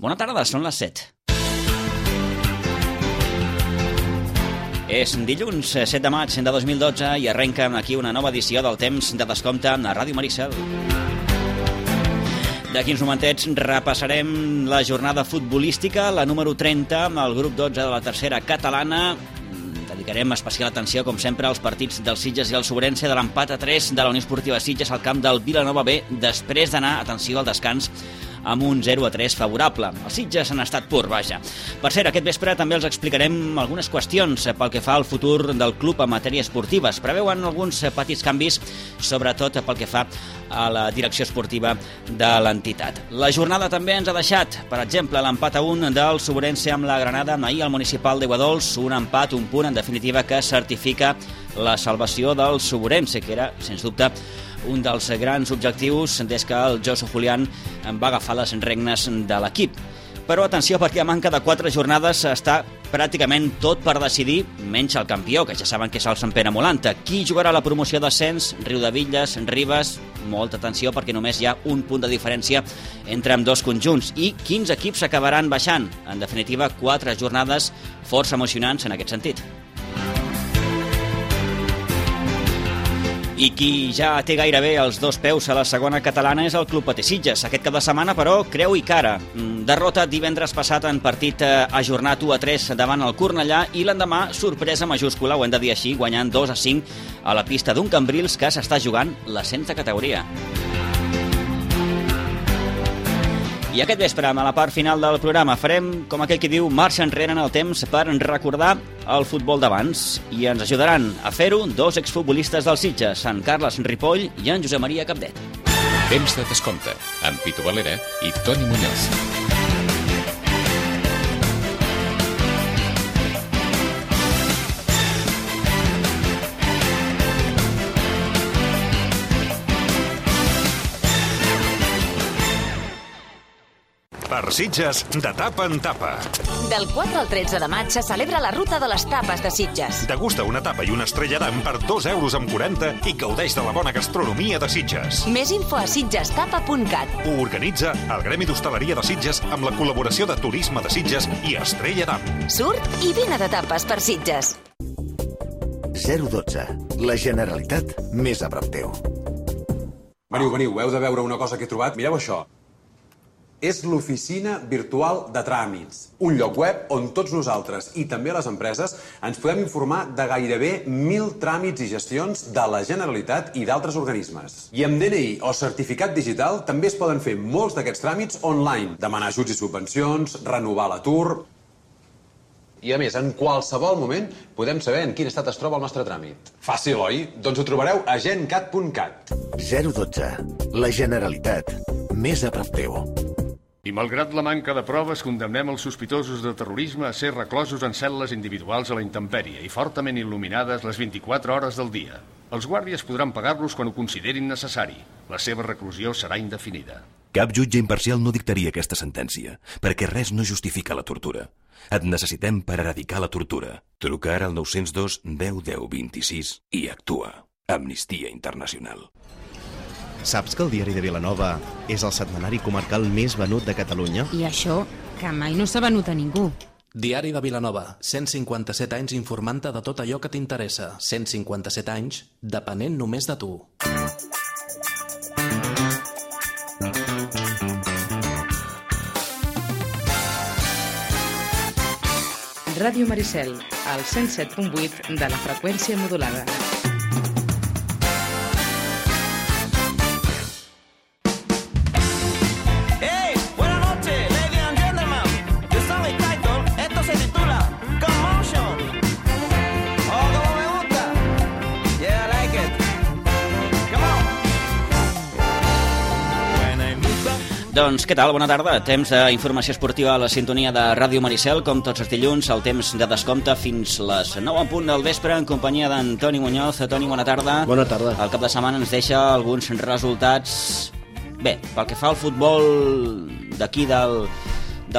Bona tarda, són les 7. És dilluns 7 de maig de 2012 i arrenca aquí una nova edició del Temps de Descompte a Ràdio Maricel. D'aquí uns momentets repassarem la jornada futbolística, la número 30, amb el grup 12 de la tercera catalana. Dedicarem especial atenció, com sempre, als partits del Sitges i el Sobrense, de l'empat a 3 de la Unió Esportiva Sitges al camp del Vilanova B, després d'anar, atenció, al descans amb un 0-3 favorable. Els Sitges han estat pur, vaja. Per cert, aquest vespre també els explicarem algunes qüestions pel que fa al futur del club en matèria esportiva. Es preveuen alguns petits canvis, sobretot pel que fa a la direcció esportiva de l'entitat. La jornada també ens ha deixat, per exemple, l'empat a 1 del Sobrense amb la Granada ahir al Municipal d'Aiguadols, un empat, un punt, en definitiva, que certifica la salvació del Sobrense, que era, sens dubte, un dels grans objectius des que el Josu Julián va agafar les regnes de l'equip. Però atenció, perquè a manca de 4 jornades està pràcticament tot per decidir, menys el campió, que ja saben que és el Sant Pere Molanta. Qui jugarà la promoció d'ascens? Riudebitlles, Ribes? Molta atenció, perquè només hi ha un punt de diferència entre ambdós conjunts. I quins equips acabaran baixant? En definitiva, 4 jornades força emocionants en aquest sentit. I qui ja té gairebé els 2 peus a la segona catalana és el Club Patí Sitges. Aquest cap de setmana, però, creu i cara. Derrota divendres passat en partit ajornat 1-3 davant el Cornellà i l'endemà sorpresa majúscula, ho hem de dir així, guanyant 2-5 a la pista d'un Cambrils que s'està jugant l'ascens de categoria. I aquest vespre, a la part final del programa, farem, com aquell que diu, marxa enrere en el temps per recordar el futbol d'abans. I ens ajudaran a fer-ho 2 exfutbolistes del Sitges, en Carles Ripoll i en Josep Maria Capdet. Temps de Descompte, amb Pitu Valera i Toni Muñoz. Per Sitges, de tapa en tapa. Del 4 al 13 de maig se celebra la Ruta de les Tapes de Sitges. Degusta una tapa i una estrella d'am per 2,40 € i gaudeix de la bona gastronomia de Sitges. Més info a sitgestapa.cat. Ho organitza el Gremi d'Hostaleria de Sitges amb la col·laboració de Turisme de Sitges i Estrella d'Am. Surt i vine de tapes per Sitges. 012. La Generalitat més a prop teu. Veniu, heu de veure una cosa que he trobat. Mireu això. És l'oficina virtual de tràmits, un lloc web on tots nosaltres i també les empreses ens podem informar de gairebé 1.000 tràmits i gestions de la Generalitat i d'altres organismes. I amb DNI o certificat digital també es poden fer molts d'aquests tràmits online, demanar ajuts i subvencions, renovar l'atur. I a més, en qualsevol moment podem saber en quin estat es troba el nostre tràmit. Fàcil, oi? Doncs ho trobareu a gencat.cat. 012. La Generalitat més a prop teu. I malgrat la manca de proves, condemnem els sospitosos de terrorisme a ser reclosos en cel·les individuals a la intempèrie i fortament il·luminades les 24 hores del dia. Els guàrdies podran pagar-los quan ho considerin necessari. La seva reclusió serà indefinida. Cap jutge imparcial no dictaria aquesta sentència, perquè res no justifica la tortura. Et necessitem per erradicar la tortura. Truca ara al 902 10 10 26 i actua. Amnistia Internacional. Saps que el Diari de Vilanova és el setmanari comarcal més venut de Catalunya? I això, que mai no s'ha venut a ningú. Diari de Vilanova, 157 anys informant-te de tot allò que t'interessa. 157 anys depenent només de tu. Ràdio Maricel, al 107.8 de la freqüència modulada. Doncs què tal? Bona tarda. Temps d'informació esportiva a la sintonia de Ràdio Maricel, com tots els dilluns, el temps de descompte fins les 9 en punt del vespre, en companyia d'en Toni Muñoz. Toni, bona tarda. Bona tarda. El cap de setmana ens deixa alguns resultats... Bé, pel que fa al futbol d'aquí del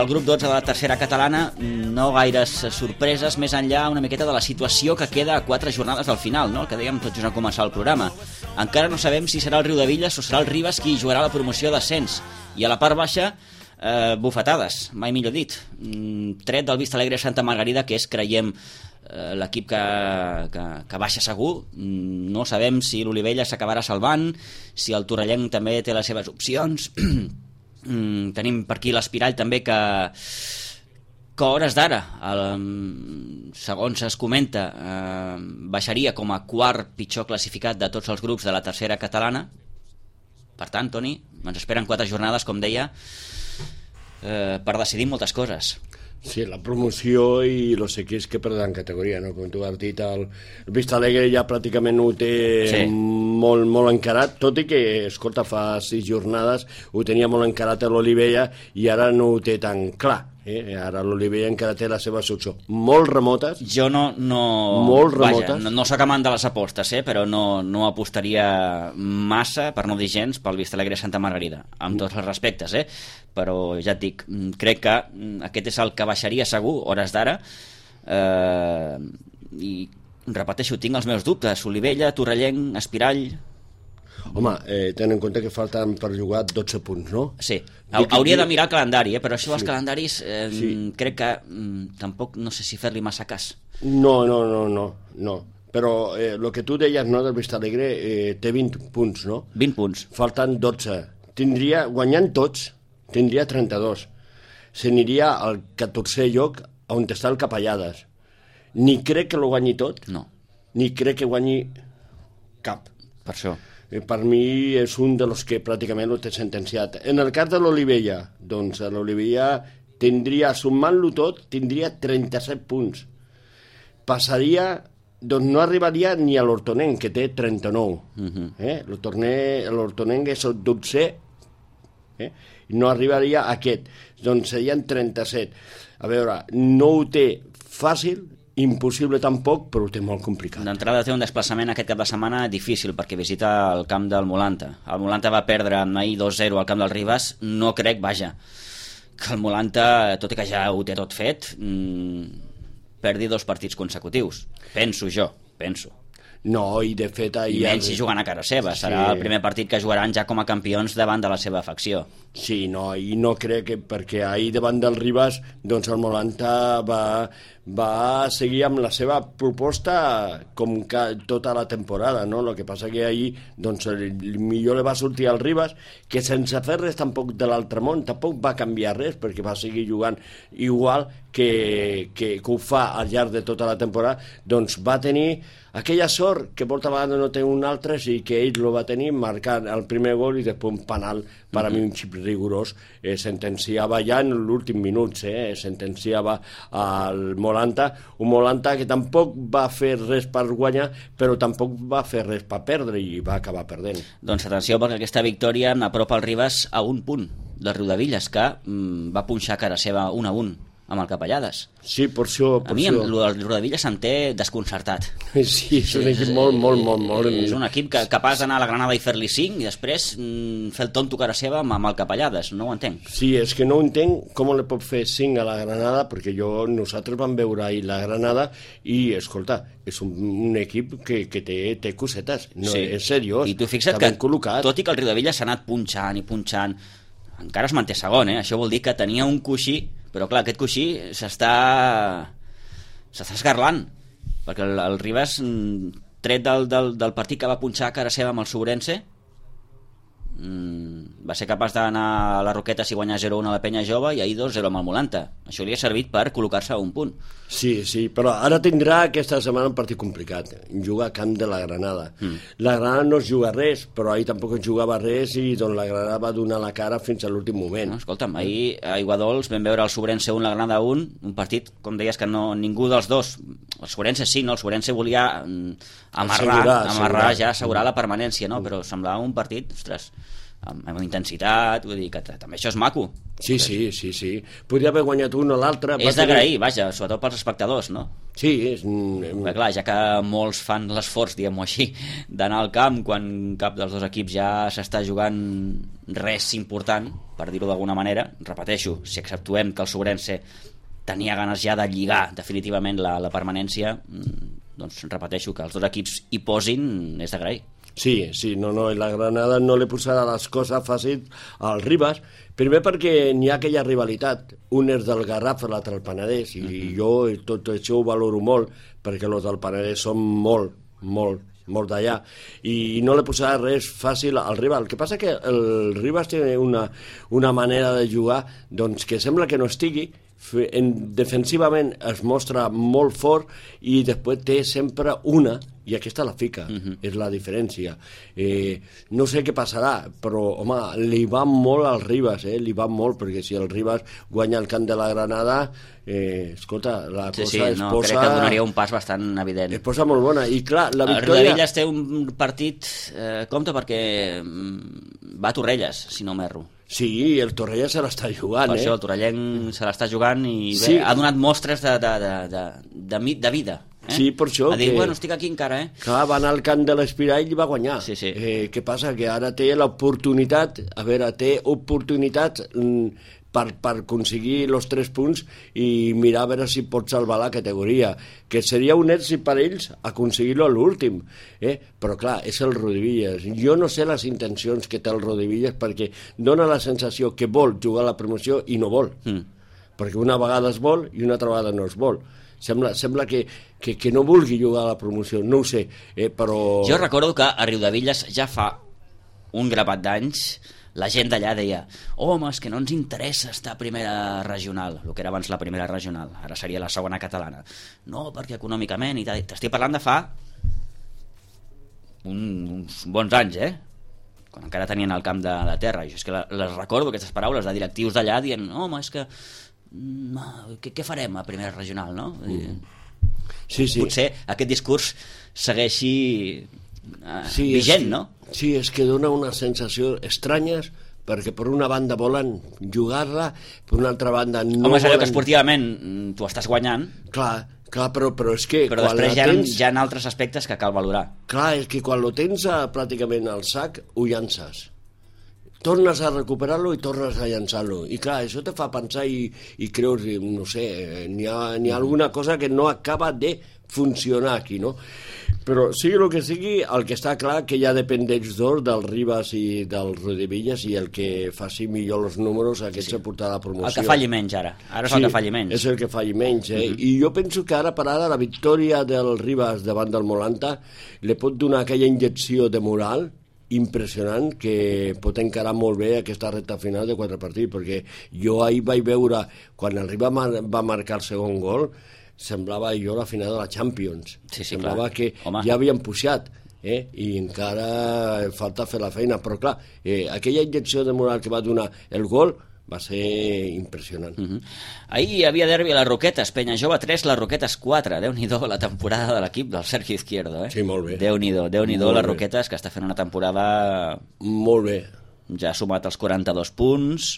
grup 12 de la tercera catalana, no gaires sorpreses, més enllà una miqueta de la situació que queda a 4 jornades al final, no? El que dèiem tots just a començar el programa. Encara no sabem si serà el Riudebitlles o serà el Ribes qui jugarà la promoció d'ascens. I a la part baixa bufetades, mai millor dit. Tret del Vista Alegre Santa Margarida, que és, creiem, l'equip que baixa segur. No sabem si l'Olivella s'acabarà salvant, si el Torrellenc també té les seves opcions. Tenim per aquí l'Espirall també, que a hores d'ara, segons es comenta, baixaria com a quart pitjor classificat de tots els grups de la tercera catalana. Per tant, Toni, ens esperen 4 jornades, com deia, per decidir moltes coses. Sí, la promoció i els equips que perden categoria, no? Com tu has dit, el Vista Alegre ja pràcticament ho té molt, molt encarat, tot i que, escolta, fa 6 jornades ho tenia molt encarat a l'Olivella i ara no ho té tan clar. Ara l'Olivella encara té les seves opcions molt remotes. Jo molt remotes. Vaja, no sóc amant de les apostes, però no apostaria massa, per no dir gens, pel Vista Alegre Santa Margarida, amb tots els respectes, però ja et dic, crec que aquest és el que baixaria segur, hores d'ara, i repeteixo, tinc els meus dubtes. Olivella, Torrellenc, Espirall... Home, ten en compte que falten per jugar 12 punts, no? Sí, hauria de mirar el calendari, però això dels calendaris crec que tampoc no sé si fer-li massa cas. No, però el que tu deies, no, del Vista Alegre, té 20 punts, no? 20 punts. Falten 12. Guanyant tots, tindria 32. S'aniria al 14è lloc on està el Capellades. Ni crec que lo guanyi tot, ni crec que guanyi cap. Per això. Per mi és un dels que pràcticament ho té sentenciat. En el cas de l'Olivella, doncs l'Olivella tindria, sumant-lo tot, tindria 37 punts. Passaria, doncs no arribaria ni a l'Hortonenc, que té 39. L'Hortonenc és el 12è, no arribaria a aquest. Doncs serien 37. A veure, no ho té fàcil, impossible tampoc, però ho té molt complicat. D'entrada té un desplaçament aquest cap de setmana difícil, perquè visita el camp del Molanta. El Molanta va perdre ahir 2-0 al camp del Ribas. No crec, que el Molanta, tot i que ja ho té tot fet, perdi 2 partits consecutius. Penso. No, i de fet... I menys si jugant a casa seva. Serà el primer partit que jugaran ja com a campions davant de la seva facció. Sí, i no crec que... Perquè ahir davant del Ribas, doncs el Molanta va seguir amb la seva proposta com tota la temporada, no? El que passa que ahir, doncs, millor li va sortir al Ribas, que sense fer res tampoc de l'altre món, tampoc va canviar res, perquè va seguir jugant igual que ho fa al llarg de tota la temporada. Doncs va tenir aquella sort que molta vegada no té un altre, i que ell lo va tenir marcant el primer gol i després un penal, per a mi un xip rigorós, sentenciava ja en l'últim minut, sentenciava al Molanta, un Molanta que tampoc va fer res per guanyar, però tampoc va fer res per perdre i va acabar perdent. Doncs atenció, perquè aquesta victòria apropa el Ribas a un punt del Riudevilles, que va punxar cara seva 1-1 amb el Capellades. Sí, per això... A mi el Riudevilles se'n té desconcertat. Sí, és un equip molt... És un equip capaç d'anar a la Granada i fer-li 5 i després fer el tonto cara seva amb el Capellades. No ho entenc. Sí, és que no entenc com li pot fer 5 a la Granada, perquè nosaltres vam veure ahir la Granada i, escolta, és un equip que té cosetes. No, és seriós. I tu fixa't que, tot i que el Riudevilles s'ha anat punxant, encara es manté segon, Això vol dir que tenia un coixí, però clar, aquest coixí s'està esgarlant, perquè el Ribas, tret del partit que va punxar a cara seva amb el Sobrense, va ser capaç d'anar a la Roqueta si guanyar 0-1 a la Penya Jove i ahir 2-0 amb el Molanta. Això li ha servit per col·locar-se a un punt. Sí, però ara tindrà aquesta setmana un partit complicat. Juga a camp de la Granada. La Granada no es juga res, però ahir tampoc es jugava res i doncs la Granada va donar la cara fins a l'últim moment. Escolta'm, ahir a Iguadols vam veure el Sobrense 1, la Granada 1, un partit, com deies, que ningú dels dos, el Sobrense sí, no? El Sobrense volia amarrar ja, assegurar la permanència, no? Però semblava un partit, ostres, amb intensitat, vull dir que també això és maco. Sí. Podria haver guanyat un o l'altre. És d'agrair, sobretot pels espectadors, no? Sí, Però clar, ja que molts fan l'esforç, diguem-ho així, d'anar al camp quan cap dels dos equips ja s'està jugant res important, per dir-ho d'alguna manera, repeteixo, si exceptuem que el Sobrense tenia ganes ja de lligar definitivament la permanència, doncs repeteixo que els dos equips hi posin és d'agrair. Sí, la Granada no li posarà les coses fàcils al Ribas, primer perquè n'hi ha aquella rivalitat, un és del Garraf, l'altre del Penedès, i jo tot això ho valoro molt, perquè els del Penedès són molt d'allà, i no li posarà res fàcil al rival. El que passa que el Ribas té una manera de jugar doncs, que sembla que no estigui, defensivament es mostra molt fort i després té sempre una, i aquesta la fica, és la diferència. No sé què passarà, però home, li va molt al Ribas, li va molt, perquè si el Ribas guanya el camp de la Granada, escolta, la cosa es posa... crec que donaria un pas bastant evident. Es posa molt bona, i clar, la victòria... El Riudebitlles té un partit, compte, perquè va a Torrelles, si no m'erro. Sí, el Torrelles se l'està jugant, Per això el torrellenc se l'està jugant i bé, ha donat mostres de vida. Sí, per això ha dit, bueno, estic aquí encara, Clar, va anar al camp de l'Espirall i va guanyar. Sí. Què passa? Que ara té l'oportunitat, per aconseguir els 3 punts i mirar a veure si pot salvar la categoria, que seria un èxit per ells aconseguir-lo a l'últim, però clar, és el Riudebitlles. Jo no sé les intencions que té el Riudebitlles, perquè dona la sensació que vol jugar a la promoció i no vol, perquè una vegada es vol i una altra vegada no es vol. Sembla que no vulgui jugar a la promoció, no ho sé, però... Jo recordo que a Riudebitlles ja fa un grapat d'anys la gent d'allà deia, home, és que no ens interessa estar a primera regional, el que era abans la primera regional, ara seria la segona catalana. No, perquè econòmicament i tal. T'estic parlant de fa uns bons anys, quan encara tenien el camp de terra. Jo és que les recordo, aquestes paraules de directius d'allà dient, home, és que què farem a primera regional, no? Sí. Potser aquest discurs segueixi vigent, no? Sí, és que dona una sensació estranyes, perquè per una banda volen jugar-la, per una altra banda no Home, és allò volen... que esportivament tu estàs guanyant. Clar, però és que... Però després hi ha altres aspectes que cal valorar. Clar, és que quan ho tens pràcticament al sac, ho llances. Tornes a recuperar-lo i tornes a llançar-lo. I clar, això te fa pensar i creus, no sé, n'hi ha alguna cosa que no acaba de funcionar aquí, no? Però sigui el que sigui, el que està clar que ja depèn d'ells dos, del Ribas i del Riudebitlles, i el que faci millor els números, aquest se portarà a la promoció. El que falli menys ara és el que falli menys. És el que falli menys, I jo penso que ara per ara la victòria del Ribas davant del Molanta li pot donar aquella injecció de moral impressionant que pot encarar molt bé aquesta recta final de 4 partits, perquè jo ahir vaig veure, quan el Ribas va marcar el segon gol, semblava jo la final de la Champions. Semblava que ja havien pujat, i encara falta fer la feina, però clar, aquella injecció de moral que va donar el gol va ser impressionant. Ahir hi havia derbi a les Roquetes, Penya Jove 3, les Roquetes 4. Déu-n'hi-do la temporada de l'equip del Sergio Izquierdo. Sí, molt bé. Déu-n'hi-do les Roquetes, que està fent una temporada... Molt bé. Ja ha sumat els 42 punts.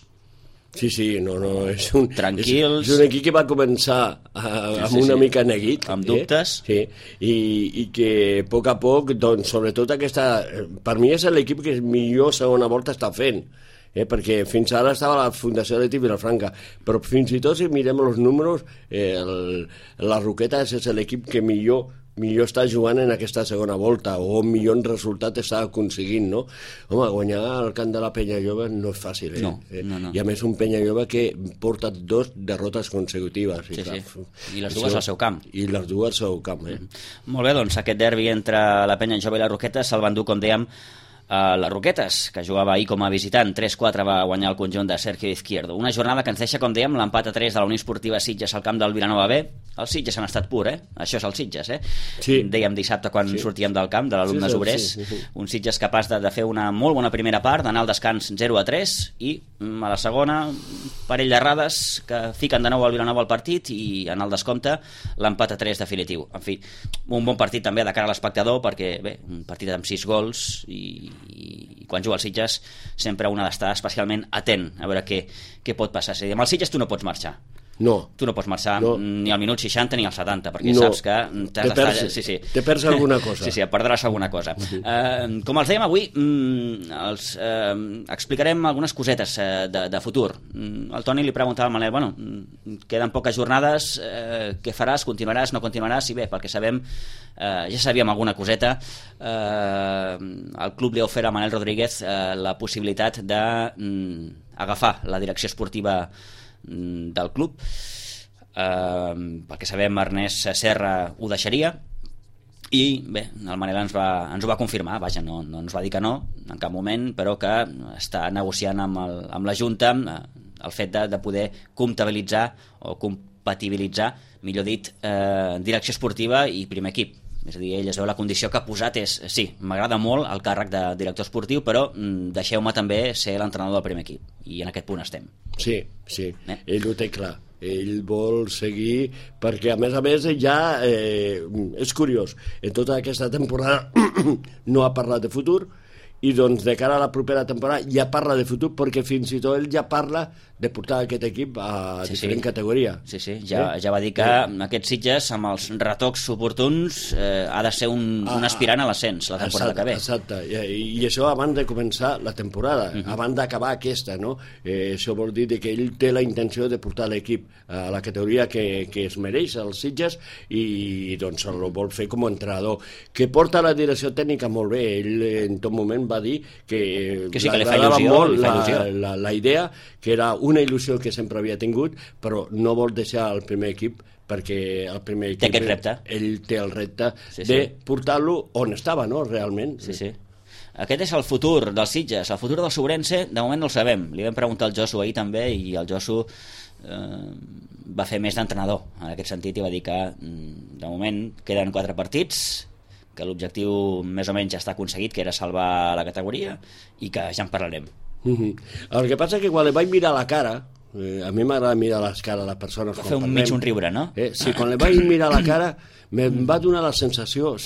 Sí, no, és un... Tranquils. És un equip que va començar amb una mica neguit. Amb dubtes. Sí, i que a poc a poc, doncs, sobretot aquesta... Per mi és l'equip que millor segona volta està fent. Perquè fins ara estava la Fundació Atlètic Vilafranca, però fins i tot si mirem els números, la Roquetes és l'equip que millor està jugant en aquesta segona volta, o millor resultat està aconseguint, no? Home, guanyar el camp de la Penya Jove no és fàcil, No. I a més un Penya Jove que porta 2 derrotes consecutives. I les dues al seu camp. Molt bé, doncs aquest derbi entre la Penya Jove i la Roquetes se'l van dur, com dèiem, les Roquetes, que jugava ahir com a visitant. 3-4 va guanyar el conjunt de Sergio Izquierdo. Una jornada que ens deixa, com dèiem, l'empat a 3 de la Unió Esportiva Sitges al camp del Vilanova B. Els Sitges han estat pur, Això és el Sitges, Sí. Dèiem dissabte quan sortíem del camp, de l'Alumnes Obrers. Un Sitges capaç de fer una molt bona primera part, d'anar al descans 0-3, i a la segona, un parell d'errades que fiquen de nou al Vilanova al partit, i en el descompte l'empat a 3 definitiu. En fi, un bon partit també de cara a l'espectador, perquè, bé, un partit amb 6 gols, i quan juga el Sitges sempre un ha d'estar especialment atent a veure què pot passar. És a dir, amb el Sitges tu no pots marxar. No. Tu no pots marxar ni al minut 60 ni al 70, perquè No. saps que t'has d'estar... Te perds alguna cosa. Sí, perdràs alguna cosa. Com els dèiem avui, explicarem algunes cosetes de futur. El Toni li preguntava al Manel, bueno, queden poques jornades, què faràs, continuaràs, no continuaràs? I bé, pel que sabem, ja sabíem alguna coseta. El club li ha ofert a Manel Rodríguez la possibilitat d'agafar la direcció esportiva del club. Pel que sabem, Ernest Serra ho deixaria i bé, el Manel ens ho va confirmar, vaja, no ens va dir que no en cap moment, però que està negociant amb la Junta el fet de poder comptabilitzar o compatibilitzar, millor dit, direcció esportiva i primer equip. És a dir, ell es veu la condició que ha posat és, sí, m'agrada molt el càrrec de director esportiu, però deixeu-me també ser l'entrenador del primer equip, i en aquest punt estem. Sí, ell ho té clar. Ell vol seguir, perquè a més ja és curiós, en tota aquesta temporada no ha parlat de futur, i doncs de cara a la propera temporada ja parla de futur, perquè fins i tot ell ja parla de portar aquest equip a diferent categoria. Sí, ja va dir que aquests Sitges, amb els retocs oportuns, ha de ser un aspirant a l'ascens la temporada que ve. Exacte, i això abans de començar la temporada, abans d'acabar aquesta, no? Això vol dir que ell té la intenció de portar l'equip a la categoria que es mereix, els Sitges, i doncs el vol fer com a entrenador. Que porta la direcció tècnica molt bé, ell en tot moment va dir que sí, que li fa il·lusió, la idea, que era una il·lusió que sempre havia tingut, però no vol deixar el primer equip perquè el primer equip... Té aquest repte. Ell té el repte de portar-lo on estava, no?, realment. Sí. Aquest és el futur dels Sitges. El futur del Sobrense, de moment no el sabem. Li vam preguntar al Josu ahir també, i el Josu va fer més d'entrenador en aquest sentit, i va dir que de moment queden 4 partits, que l'objectiu més o menys ja està aconseguit, que era salvar la categoria, i que ja en parlarem. El que passa que quan li vaig mirar la cara, a mi m'agrada mirar les cares a les persones va fer un riure, no? Sí, quan li vaig mirar la cara em va donar la sensació, un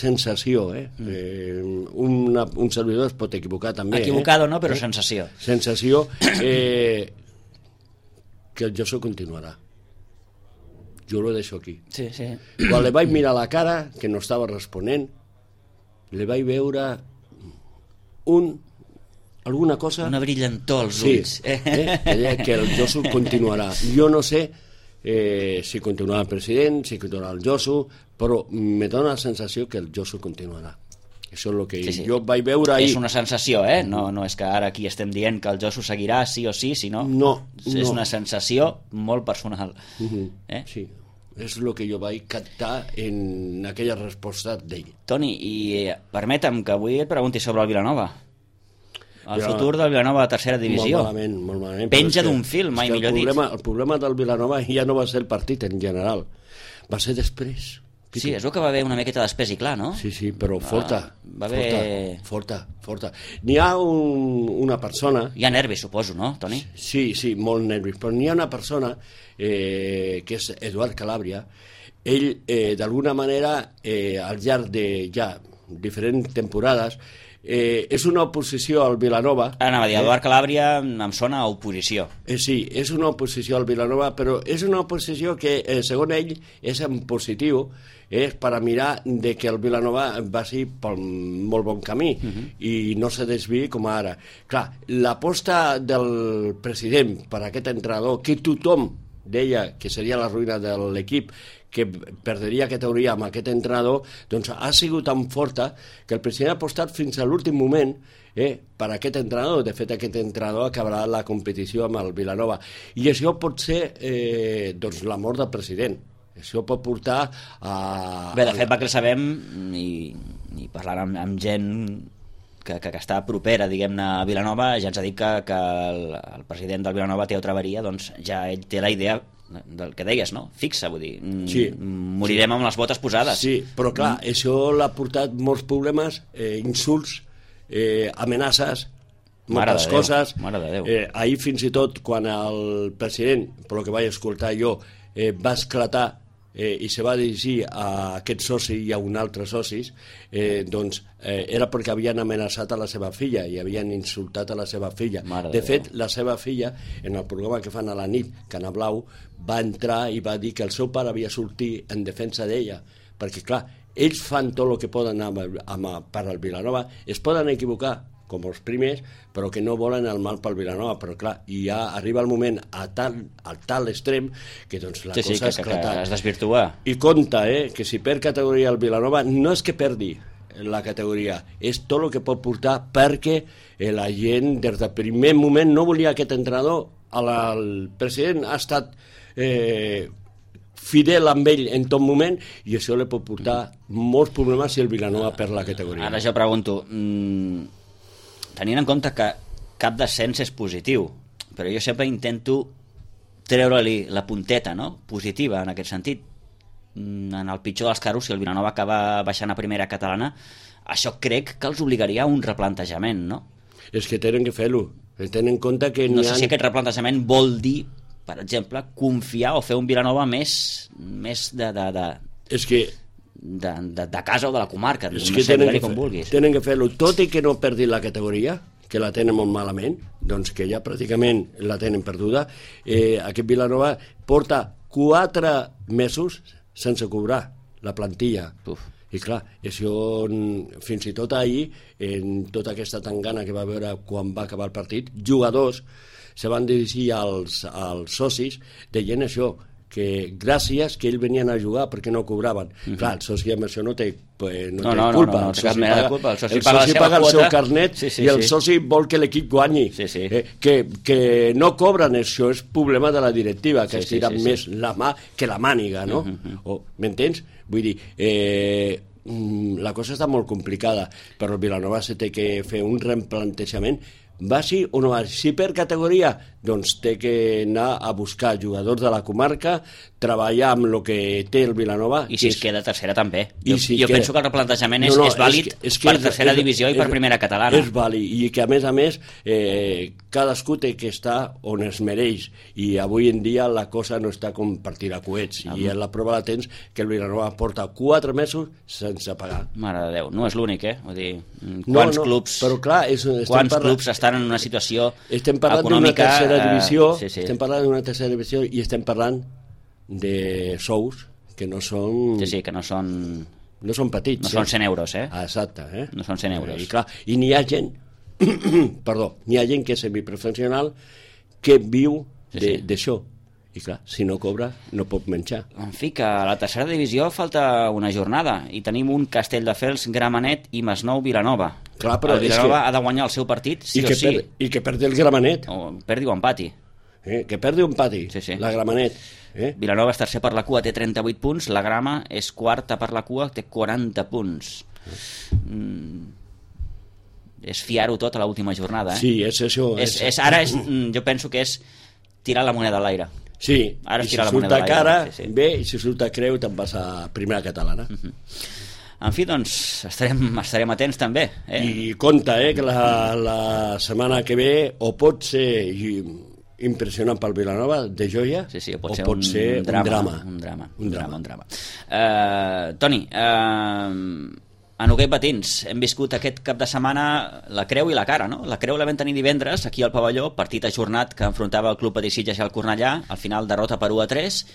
servidor es pot equivocar també, equivocado no, però sensació que el Josu continuarà. Jo lo deixo aquí. Sí. Quan li vaig mirar la cara, que no estava responent, li vaig veure alguna cosa... Una brillantor als ulls. Que el Josu continuarà. Jo no sé si continuarà el president, si continuarà el Josu, però me dona la sensació que el Josu continuarà. Això és el que jo vaig veure ahir. És una sensació, no és que ara aquí estem dient que el Josu seguirà sí o sí, sinó... No. És una sensació molt personal. Sí. És el que jo vaig captar en aquella resposta d'ell. Toni, i permetem que avui et pregunti sobre el Vilanova. El futur del Vilanova de tercera divisió. Molt malament. Penja d'un fil, mai millor dit. El problema del Vilanova ja no va ser el partit en general, va ser després. Sí, és el que va haver una miqueta d'espès i clar, no? Sí, però forta. Va haver... Forta. N'hi ha una persona... Hi ha nervis, suposo, no, Toni? Sí, molt nervis, però n'hi ha una persona que és Eduard Calàbria. Ell, d'alguna manera, al llarg de ja diferents temporades, és una oposició al Vilanova. Anava a dir, Eduard Calàbria em sona a oposició. Sí, és una oposició al Vilanova, però és una oposició que, segons ell, és en positiu, és per a mirar de que el Vilanova vagi pel molt bon camí i no se desviï com ara. Clar, l'aposta del president per a aquest entrenador, que tothom deia que seria la ruïna de l'equip, que perdria categoria amb aquest entrenador, doncs ha sigut tan forta que el president ha apostat fins a l'últim moment per aquest entrenador. De fet, aquest entrenador acabarà la competició amb el Vilanova. I això pot ser doncs, la mort del president. Això pot portar a... Bé, de fet, va que el sabem, i parlant amb gent que està propera, diguem-ne, a Vilanova, ja ens ha dit que el president del Vilanova té otra avaria, doncs ja ell té la idea del que deies, no? Fixa, vull dir, morirem amb les botes posades. Sí, però clar, això l'ha portat molts problemes, insults, amenaces, moltes coses. Mare de Déu. Ahir fins i tot, quan el president, per lo que vaig escoltar jo, va esclatar i se va dirigir a aquest soci i a un altre socis, era perquè havien amenaçat a la seva filla i havien insultat a la seva filla. De fet, la seva filla, en el programa que fan a la nit, Cana Blau, va entrar i va dir que el seu pare havia sortit en defensa d'ella, perquè, clar, ells fan tot el que poden per al Vilanova, es poden equivocar, com els primers, però que no volen el mal pel Vilanova, però clar, i ja arriba el moment al tal extrem que doncs la cosa ha esclatat. Que es desvirtua. I compte, que si perd categoria el Vilanova, no és que perdi la categoria, és tot el que pot portar, perquè la gent des del primer moment no volia aquest entrenador. El president ha estat fidel amb ell en tot moment i això li pot portar molts problemes si el Vilanova perd la categoria. Ara jo pregunto, tenint en compte que cap descens és positiu, però jo sempre intento treure-li la punteta, no?, positiva en aquest sentit. En el pitjor dels casos, si el Vilanova acaba baixant a primera catalana, això crec que els obligaria a un replantejament, no? És que tenen que fer-lo. Tenen en compte que no sé si aquest replantejament vol dir, per exemple, confiar o fer un Vilanova més de casa o de la comarca, no sé, com vulguis. Tenen que fer-lo, tot i que no perdi la categoria, que la tenen molt malament, doncs que ja pràcticament la tenen perduda. Aquest Vilanova porta 4 mesos sense cobrar la plantilla. I clar, això, fins i tot ahir, en tota aquesta tangana que va veure quan va acabar el partit, jugadors se van dirigir als socis deien això, que gràcies que ells venien a jugar perquè no cobraven. Clar, el soci amb això no té culpa. El soci paga el seu carnet i el soci vol que l'equip guanyi. Que no cobren, això és problema de la directiva, que estira més la mà que la màniga, no? M'entens? Vull dir, la cosa està molt complicada, però el Vilanova se té que fer un replantejament. Vagi o no vagi, si per categoria, doncs té que anar a buscar jugadors de la comarca, treballar amb el que té el Vilanova. I si es queda tercera també. Jo penso que el replantejament és vàlid per tercera divisió i per primera catalana. És vàlid, i que a més, cadascú té que estar on es mereix, i avui en dia la cosa no està com per tirar coets, i la prova la tens que el Vilanova porta 4 mesos sense pagar. Mare de Déu, no és l'únic, Vull dir, quants clubs estan en una situació econòmica... Estem parlant d'una tercera divisió i estem parlant de sous que no són... que no són... No són petits. No són 100 euros, Exacte, No són 100 euros. I clar, i n'hi ha gent... n'hi ha gent que és semiprofessional que viu d'això. I clar, si no cobra, no pot menjar. En fi, que a la tercera divisió falta una jornada i tenim un Castelldefels, Gramenet i Masnou, Vilanova. Clar, però el Vilanova ha de guanyar el seu partit sí o sí. I que perdi el Gramenet. O perdi o empati. Que perdi o empati, la Gramenet. Vilanova és tercer per la cua, té 38 punts, la Grama és quarta per la cua, té 40 punts. És fiar-ho tot a l'última jornada. Sí, és això. Ara jo penso que és tirar la moneda a l'aire. Sí, i si surt a cara, bé, i si surt a creu te'n vas a primera catalana. En fi, doncs, estarem atents també. I compte, que la setmana que ve o pot ser impressionant pel Vilanova, de joia, o pot ser un drama. Toni, a Noguer Patins hem viscut aquest cap de setmana la creu i la cara, no? La creu la vam tenir divendres aquí al pavelló, partit ajornat que enfrontava el Club Patí Sitges i el Cornellà, al final derrota per 1-3,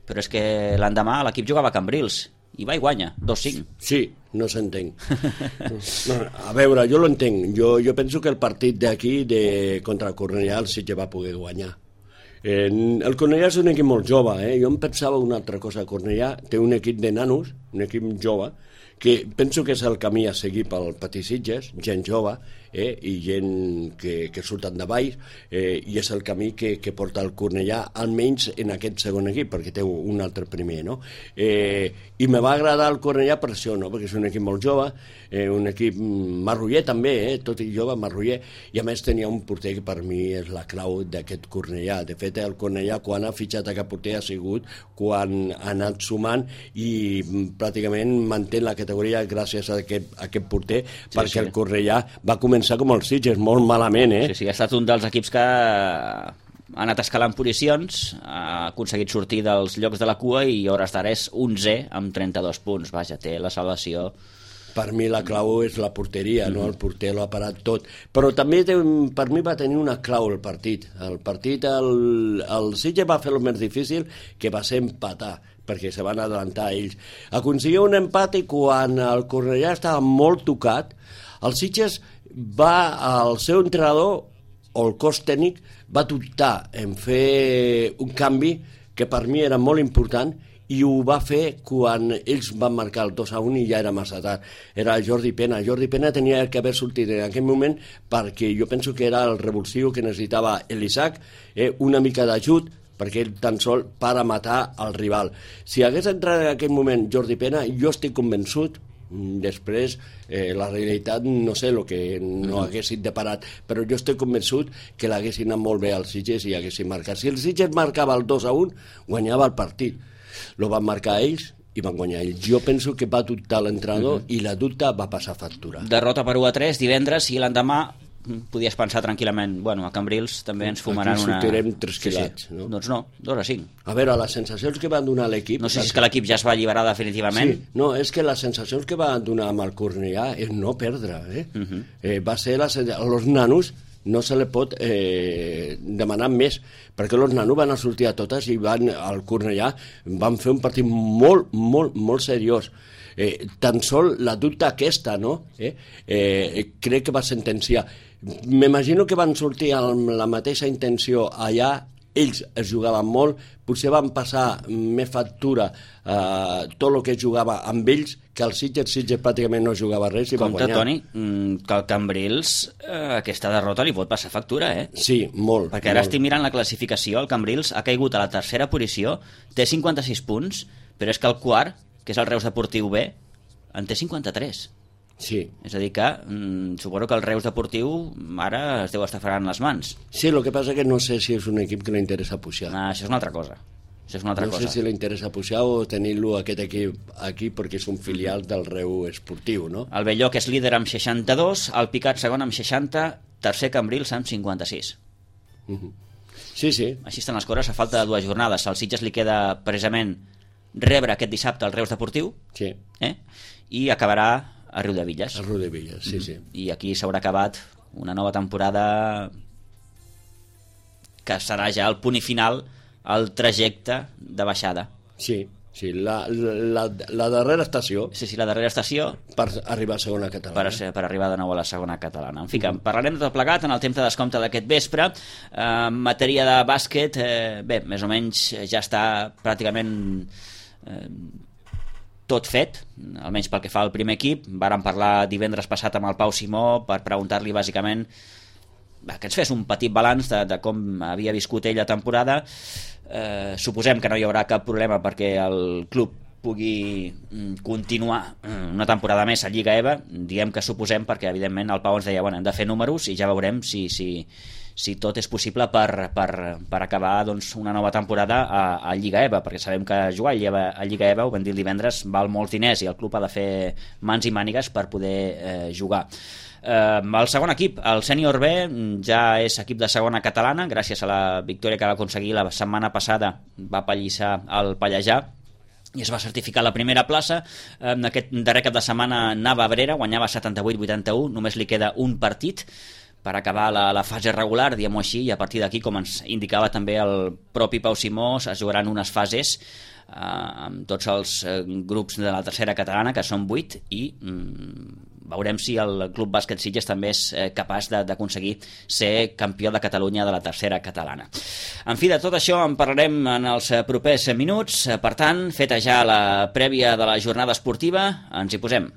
però és que l'endemà l'equip jugava a Cambrils i va i guanya, 2-5. Sí, no s'entenc. A veure, jo l'entenc. Jo penso que el partit d'aquí contra el Cornellà el Sitges va poder guanyar. El Cornellà és un equip molt jove, jo em pensava una altra cosa. El Cornellà té un equip de nanos, un equip jove, que penso que és el camí a seguir pel Patí Sitges, gent jove i gent que surten de baix, i és el camí que porta el Cornellà, almenys en aquest segon equip, perquè té un altre primer, no? I me va agradar el Cornellà per això, no? Perquè és un equip molt jove, un equip marroller també, tot i jove, marroller, i a més tenia un porter que per mi és la clau d'aquest Cornellà. De fet, el Cornellà, quan ha fitxat aquest porter, ha sigut quan ha anat sumant i pràcticament manté la categoria gràcies a aquest porter, perquè el Cornellà va començar com el Sitges, molt malament, Sí, ha estat un dels equips que ha anat escalant posicions, ha aconseguit sortir dels llocs de la cua i a hores d'ara és 11è amb 32 punts. Vaja, té la salvació. Per mi la clau és la porteria, no? El porter l'ha parat tot. Però també per mi va tenir una clau el partit. El partit, el Sitges va fer el més difícil, que va ser empatar, perquè se van adelantar ells. Aconseguia un empat i quan el Cornellà estava molt tocat, el Sitges el seu entrenador o el cos tècnic va dubtar en fer un canvi que per mi era molt important i ho va fer quan ells van marcar el 2-1 i ja era massa tard. Era Jordi Pena. Jordi Pena tenia que haver sortit en aquell moment perquè jo penso que era el revulsiu que necessitava l'Isaac, una mica d'ajut perquè ell tan sol para matar el rival. Si hagués entrat en aquell moment Jordi Pena, jo estic convençut. Després, la realitat no sé el que no haguessin deparat, però jo estic convençut que l'haguessin anat molt bé als Sitges i haguessin marcat. Si el Sitges marcava el 2-1, guanyava el partit. Lo van marcar ells i van guanyar ells. Jo penso que va dubtar l'entrenador i la dubta va passar factura. Derrota per 1-3 divendres i l'endemà podies pensar tranquil·lament, bueno, a Cambrils també ens fumaran una... Aquí sortirem 3 quilats, no? Doncs no, 2-5. A veure, les sensacions que van donar l'equip... No sé si és que l'equip ja es va alliberar definitivament. Sí, no, és que les sensacions que van donar amb el Cornellà és no perdre, va ser els nanos no se li pot demanar més, perquè els nanos van a sortir a totes i al Cornellà van fer un partit molt, molt, molt seriós. Tan sol la dubte aquesta, no? Crec que va sentenciar. M'imagino que van sortir amb la mateixa intenció allà, ells es jugaven molt, potser van passar més factura tot el que jugava amb ells, que el Sitges pràcticament no jugava res i va guanyar. Compte, Toni, que el Cambrils aquesta derrota li pot passar factura, Sí, molt. Perquè ara estic mirant la classificació, el Cambrils ha caigut a la tercera posició, té 56 punts, però és que el quart, que és el Reus Deportiu B, en té 53. Sí. És a dir que suposo que el Reus Deportiu ara es deu estar fregant les mans. Sí, el que passa que no sé si és un equip que li interessa pujar. Això és una altra cosa. No sé si li interessa pujar o tenir-lo aquest equip aquí perquè és un filial del Reus Esportiu, no? El Belloc és líder amb 62, el Picat segon amb 60, tercer Cambrils amb 56. Sí, sí. Així estan les coses a falta de 2 jornades. Al Sitges li queda precisament rebre aquest dissabte el Reus Deportiu, sí. I acabarà a Riudevilles. A Riudevilles, sí, sí. I aquí s'haurà acabat una nova temporada que serà ja el punt i final al trajecte de baixada. Sí, sí, la darrera estació. Sí, la darrera estació. Per arribar a segona catalana. Per arribar de nou a la segona catalana. En fi, que parlarem de tot plegat en el temps de descompte d'aquest vespre. En matèria de bàsquet, bé, més o menys ja està pràcticament tot fet, almenys pel que fa al primer equip. Vàrem parlar divendres passat amb el Pau Simó per preguntar-li bàsicament que ens fes un petit balanç de com havia viscut ell la temporada. Suposem que no hi haurà cap problema perquè el club pugui continuar una temporada més a Lliga EVA. Diem que suposem perquè evidentment el Pau ens deia hem de fer números i ja veurem si tot és possible per acabar doncs, una nova temporada a Lliga EVA, perquè sabem que jugar a Lliga EVA, ho vam dir el divendres, val molts diners i el club ha de fer mans i mànigues per poder jugar. El segon equip, el sènior B, ja és equip de segona catalana gràcies a la victòria que va aconseguir la setmana passada, va pallissar el Pallejà i es va certificar la primera plaça. En aquest darrer cap de setmana anava a Abrera, guanyava 78-81, només li queda un partit per acabar la fase regular, diguem-ho així, i a partir d'aquí, com ens indicava també el propi Pau Simó, es jugaran unes fases amb tots els grups de la tercera catalana, que són 8, i veurem si el Club Bàsquet Sitges també és capaç d'aconseguir ser campió de Catalunya de la tercera catalana. En fi, de tot això en parlarem en els propers minuts. Per tant, feta ja la prèvia de la jornada esportiva, ens hi posem.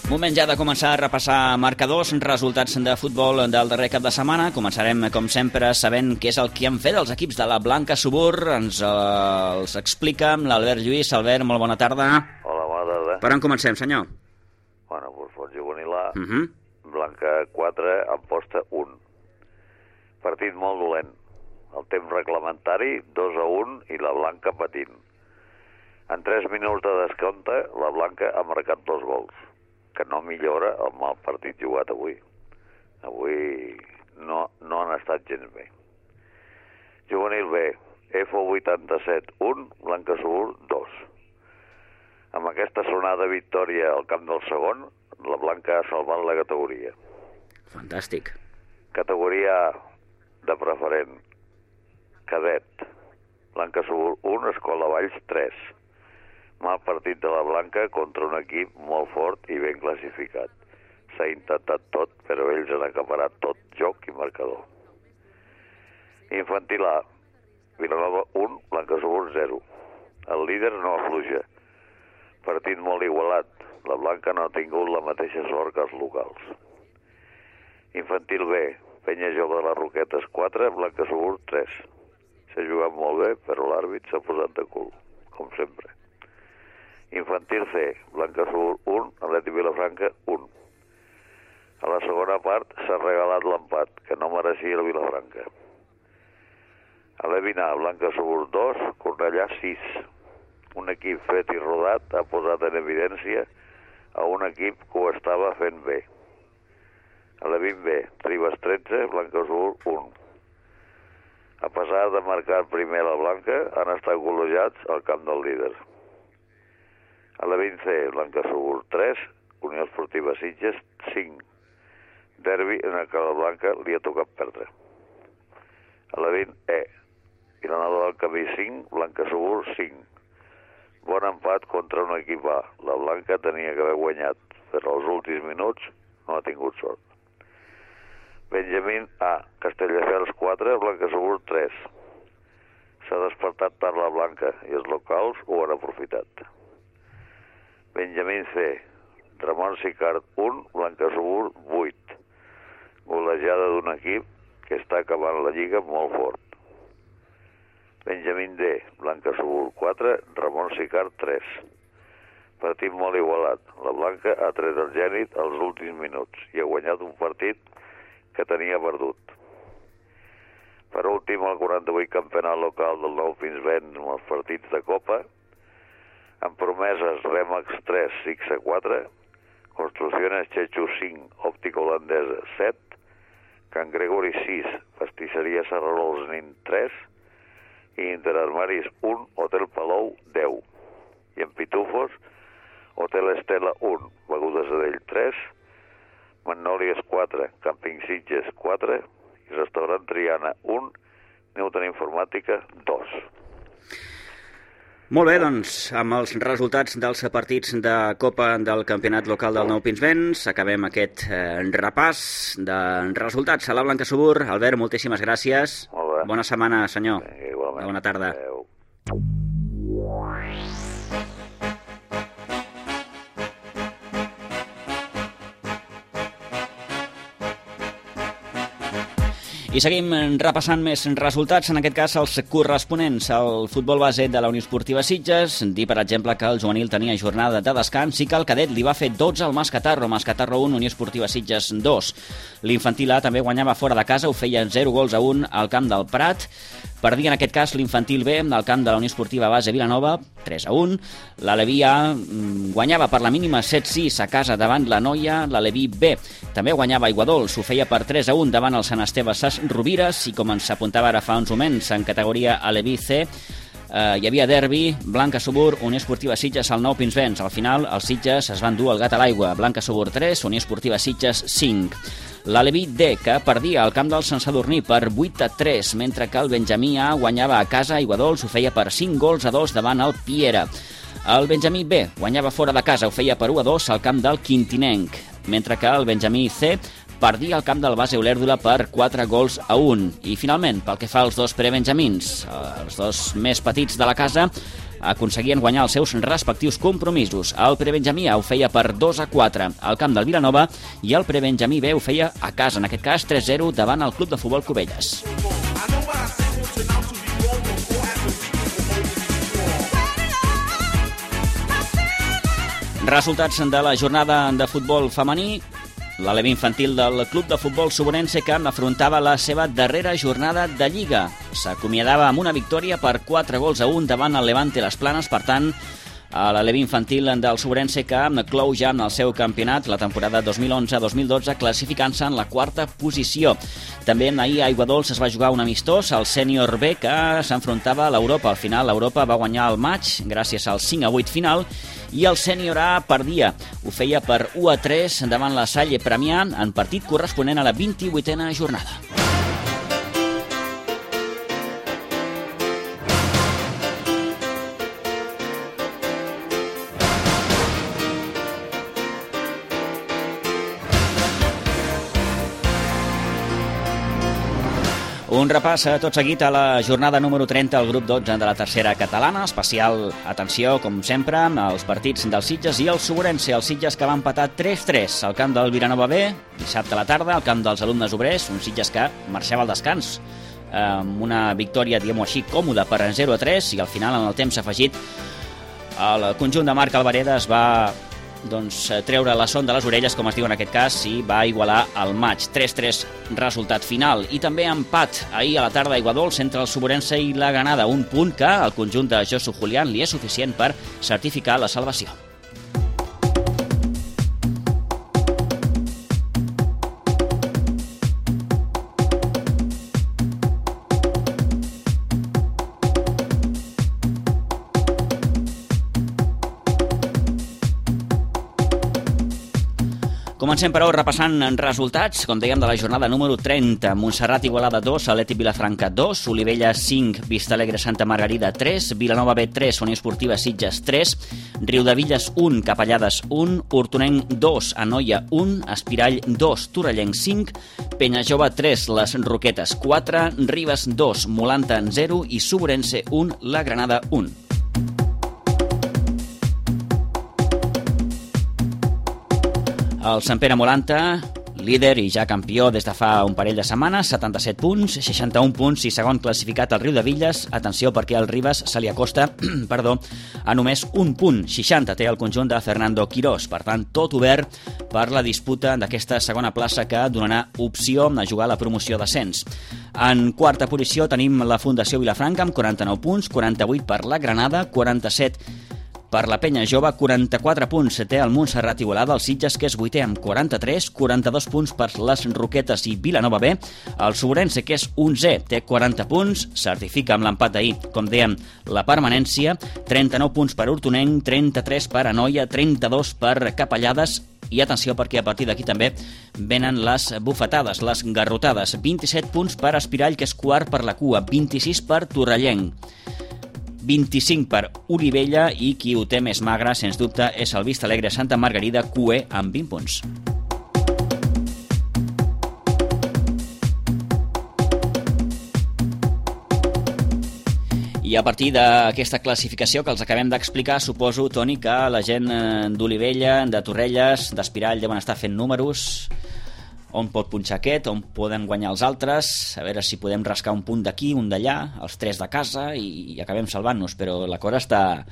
Moment ja de començar a repassar marcadors, resultats de futbol del darrer cap de setmana. Començarem, com sempre, sabent què és el que han fet els equips de la Blanca Subur. Ens els explica l'Albert Lluís. Albert, molt bona tarda. Hola, bona tarda. Per on comencem, senyor? Bueno, doncs pot juvenil A, Blanca 4, Amposta 1. Partit molt dolent. El temps reglamentari, 2-1, i la Blanca patint. En 3 minuts de descompte, la Blanca ha marcat 2 gols, que no millora el mal partit jugat avui. Avui no han estat gens bé. Juvenil B, F87 1, Blanca Subur 2. Amb aquesta sonada victòria al camp del segon, la Blanca ha salvat la categoria. Fantàstic. Categoria A, de preferent. Cadet, Blanca Subur 1, Escola Valls 3. Mal partit de la Blanca contra un equip molt fort i ben classificat. S'ha intentat tot, però ells han acaparat tot joc i marcador. Infantil A, Vilanova 1, Blanca Subur 0. El líder no afluixa. Partit molt igualat. La Blanca no ha tingut la mateixa sort que els locals. Infantil B, Penya Jove de les Roquetes 4, Blanca Subur 3. S'ha jugat molt bé, però l'àrbit s'ha posat de cul, com sempre. Infantil C, Blanca Subur 1, Atlètic Vilafranca 1. A la segona part s'ha regalat l'empat, que no mereixia el Vilafranca. A l'Evina, Blanca Subur 2, Cornellà 6. Un equip fet i rodat ha posat en evidència a un equip que ho estava fent bé. A l'Evin B, Ribes 13, Blanca Subur 1. A pesar de marcar primer la Blanca, han estat golejats al camp del líder. A la 20C, Blanca Subur 3, Unió Esportiva Sitges 5. Derbi en el que la Blanca li ha tocat perdre. A la 20E, Vilanova del Camí 5, Blanca Subur 5. Bon empat contra un equip A. La Blanca tenia que haver guanyat, però als últims minuts no ha tingut sort. Benjamín A, Castelldefels 4, Blanca Subur 3. S'ha despertat tard la Blanca i els locals ho han aprofitat. Benjamín C, Ramon Sicart 1, Blanca Subur 8. Golejada d'un equip que està acabant la lliga molt fort. Benjamín D, Blanca Subur 4, Ramon Sicart 3. Partit molt igualat. La Blanca ha tret el Gènit als últims minuts i ha guanyat un partit que tenia perdut. Per últim, el 48 campionat local del Nou Pinsbens amb els partits de Copa, amb promeses Remax 3, Sixa 4, Construcciones Chechu 5, Òptica Holandesa 7, Can Gregori 6, Pastisseria Serrarols Nin 3 i Interarmaris 1, Hotel Palou 10. I en Pitufos, Hotel Estela 1, Begudes Adell 3, Magnòlies 4, Càmping Sitges 4 i Restaurant Triana 1, Newton Informàtica 2. Molt bé, doncs, amb els resultats dels partits de Copa del Campionat Local del Nou Pinsbens, acabem aquest repàs de resultats a la Blanca Subur. Albert, moltíssimes gràcies. Molt bé. Bona setmana, senyor. Vinga, igualment. Bona tarda. Adéu. I seguim repassant més resultats, en aquest cas els corresponents al futbol base de la Unió Esportiva Sitges. Dir, per exemple, que el juvenil tenia jornada de descans i que el cadet li va fer 12 al Mascatarro 1, Unió Esportiva Sitges 2. L'infantil A també guanyava fora de casa, ho feia 0-1 al camp del Prat. Perdia en aquest cas l'infantil B al camp de la Unió Esportiva Base Vilanova, 3-1. L'Aleví A guanyava per la mínima 7-6 a casa davant la Noia. L'Aleví B també guanyava Aiguadols, ho feia per 3-1 davant el Sant Esteve Sas Rovires. I com ens apuntava ara fa uns moments en categoria Aleví C, hi havia derbi, Blanca Subur, Unió Esportiva Sitges al Nou Pinsbens. Al final els Sitges es van dur el gat a l'aigua, Blanca Subur 3, Unió Esportiva Sitges 5. L'Aleví D, que perdia al camp del Sant Sadurní per 8-3, mentre que el Benjamí A guanyava a casa a Aiguadols, ho feia per 5-2 davant el Piera. El Benjamí B guanyava fora de casa, ho feia per 1-2 al camp del Quintinenc, mentre que el Benjamí C perdia al camp del Base Olèrdola per 4-1. I finalment, pel que fa als dos prebenjamins, els dos més petits de la casa, aconseguien guanyar els seus respectius compromisos. El Prebenjamí A ho feia per 2-4 al camp del Vilanova i el Prebenjamí B ho feia a casa, en aquest cas 3-0 davant el Club de Futbol Cubelles. Resultats de la jornada de futbol femení. L'Alevi infantil del Club de Futbol Suborense que afrontava la seva darrera jornada de Lliga. S'acomiadava amb una victòria per 4-1 davant el Levante Les Planes, per tant, l'Alevi infantil del Suborense que clou ja en el seu campionat la temporada 2011-2012 classificant-se en la 4a posició. També ahir a Aiguadols es va jugar un amistós, el sènior B, que s'enfrontava a l'Europa. Al final l'Europa va guanyar el maig gràcies al 5-8 final i el sènior A perdia. Ho feia per 1-3 davant la Salle Premià en partit corresponent a la 28a jornada. Un repàs tot seguit a la jornada número 30 al grup 12 de la tercera catalana. Especial atenció, com sempre, als partits del Sitges i el Suborense. El Sitges que va empatar 3-3 al camp del Vilanova B, dissabte a la tarda, al camp dels alumnes obrers, un Sitges que marxava al descans amb una victòria, diguem-ho així, còmoda per 0-3 i al final, en el temps afegit, el conjunt de Marc Alvareda es va treure la son de les orelles, com es diu en aquest cas, i va igualar el maig. 3-3 resultat final. I també empat ahir a la tarda a Aiguadols entre el Suborense i la Granada, un punt que al conjunt de Josu Julián li és suficient per certificar la salvació. Comencem, però, repassant resultats, com dèiem, de la jornada número 30. Montserrat Igualada 2, Atlètic Vilafranca 2, Olivella 5, Vistalegre Santa Margarida 3, Vilanova B 3, Unió Esportiva Sitges 3, Riudevilles 1, Capellades 1, Hortonenc 2, Anoia 1, Espirall 2, Torrellenc 5, Penyajove 3, Les Roquetes 4, Ribes 2, Molanta 0 i Suborense 1, La Granada 1. El Sant Pere Molanta, líder i ja campió des de fa un parell de setmanes, 77 punts, 61 punts i segon classificat al Riudevilles. Atenció perquè el Ribes se li acosta a només un punt, 60 té el conjunt de Fernando Quirós. Per tant, tot obert per la disputa d'aquesta segona plaça que donarà opció a jugar a la promoció d'ascens. En quarta posició tenim la Fundació Vilafranca amb 49 punts, 48 per la Granada, 47 per la Penya Jove, 44 punts té el Montserrat Igualada, el Sitges, que és vuitè amb 43, 42 punts per les Roquetes i Vilanova B, el Suborense, que és 11è, té 40 punts, certifica amb l'empat d'ahir, com dèiem, la permanència, 39 punts per Hortonenc, 33 per Anoia, 32 per Capellades, i atenció perquè a partir d'aquí també venen les bufetades, les garrotades, 27 punts per Espirall, que és quart per la cua, 26 per Torrellenc, 25 per Olivella i qui ho té més magre, sens dubte, és el Vistalegre Santa Margarida, QE, amb 20 punts. I a partir d'aquesta classificació que els acabem d'explicar, suposo, Toni, que la gent d'Olivella, de Torrelles, d'Espirall deuen estar fent números. On pot punxar aquest, on poden guanyar els altres, a veure si podem rascar un punt d'aquí, un d'allà, els 3 de casa i acabem salvant-nos, però la cosa està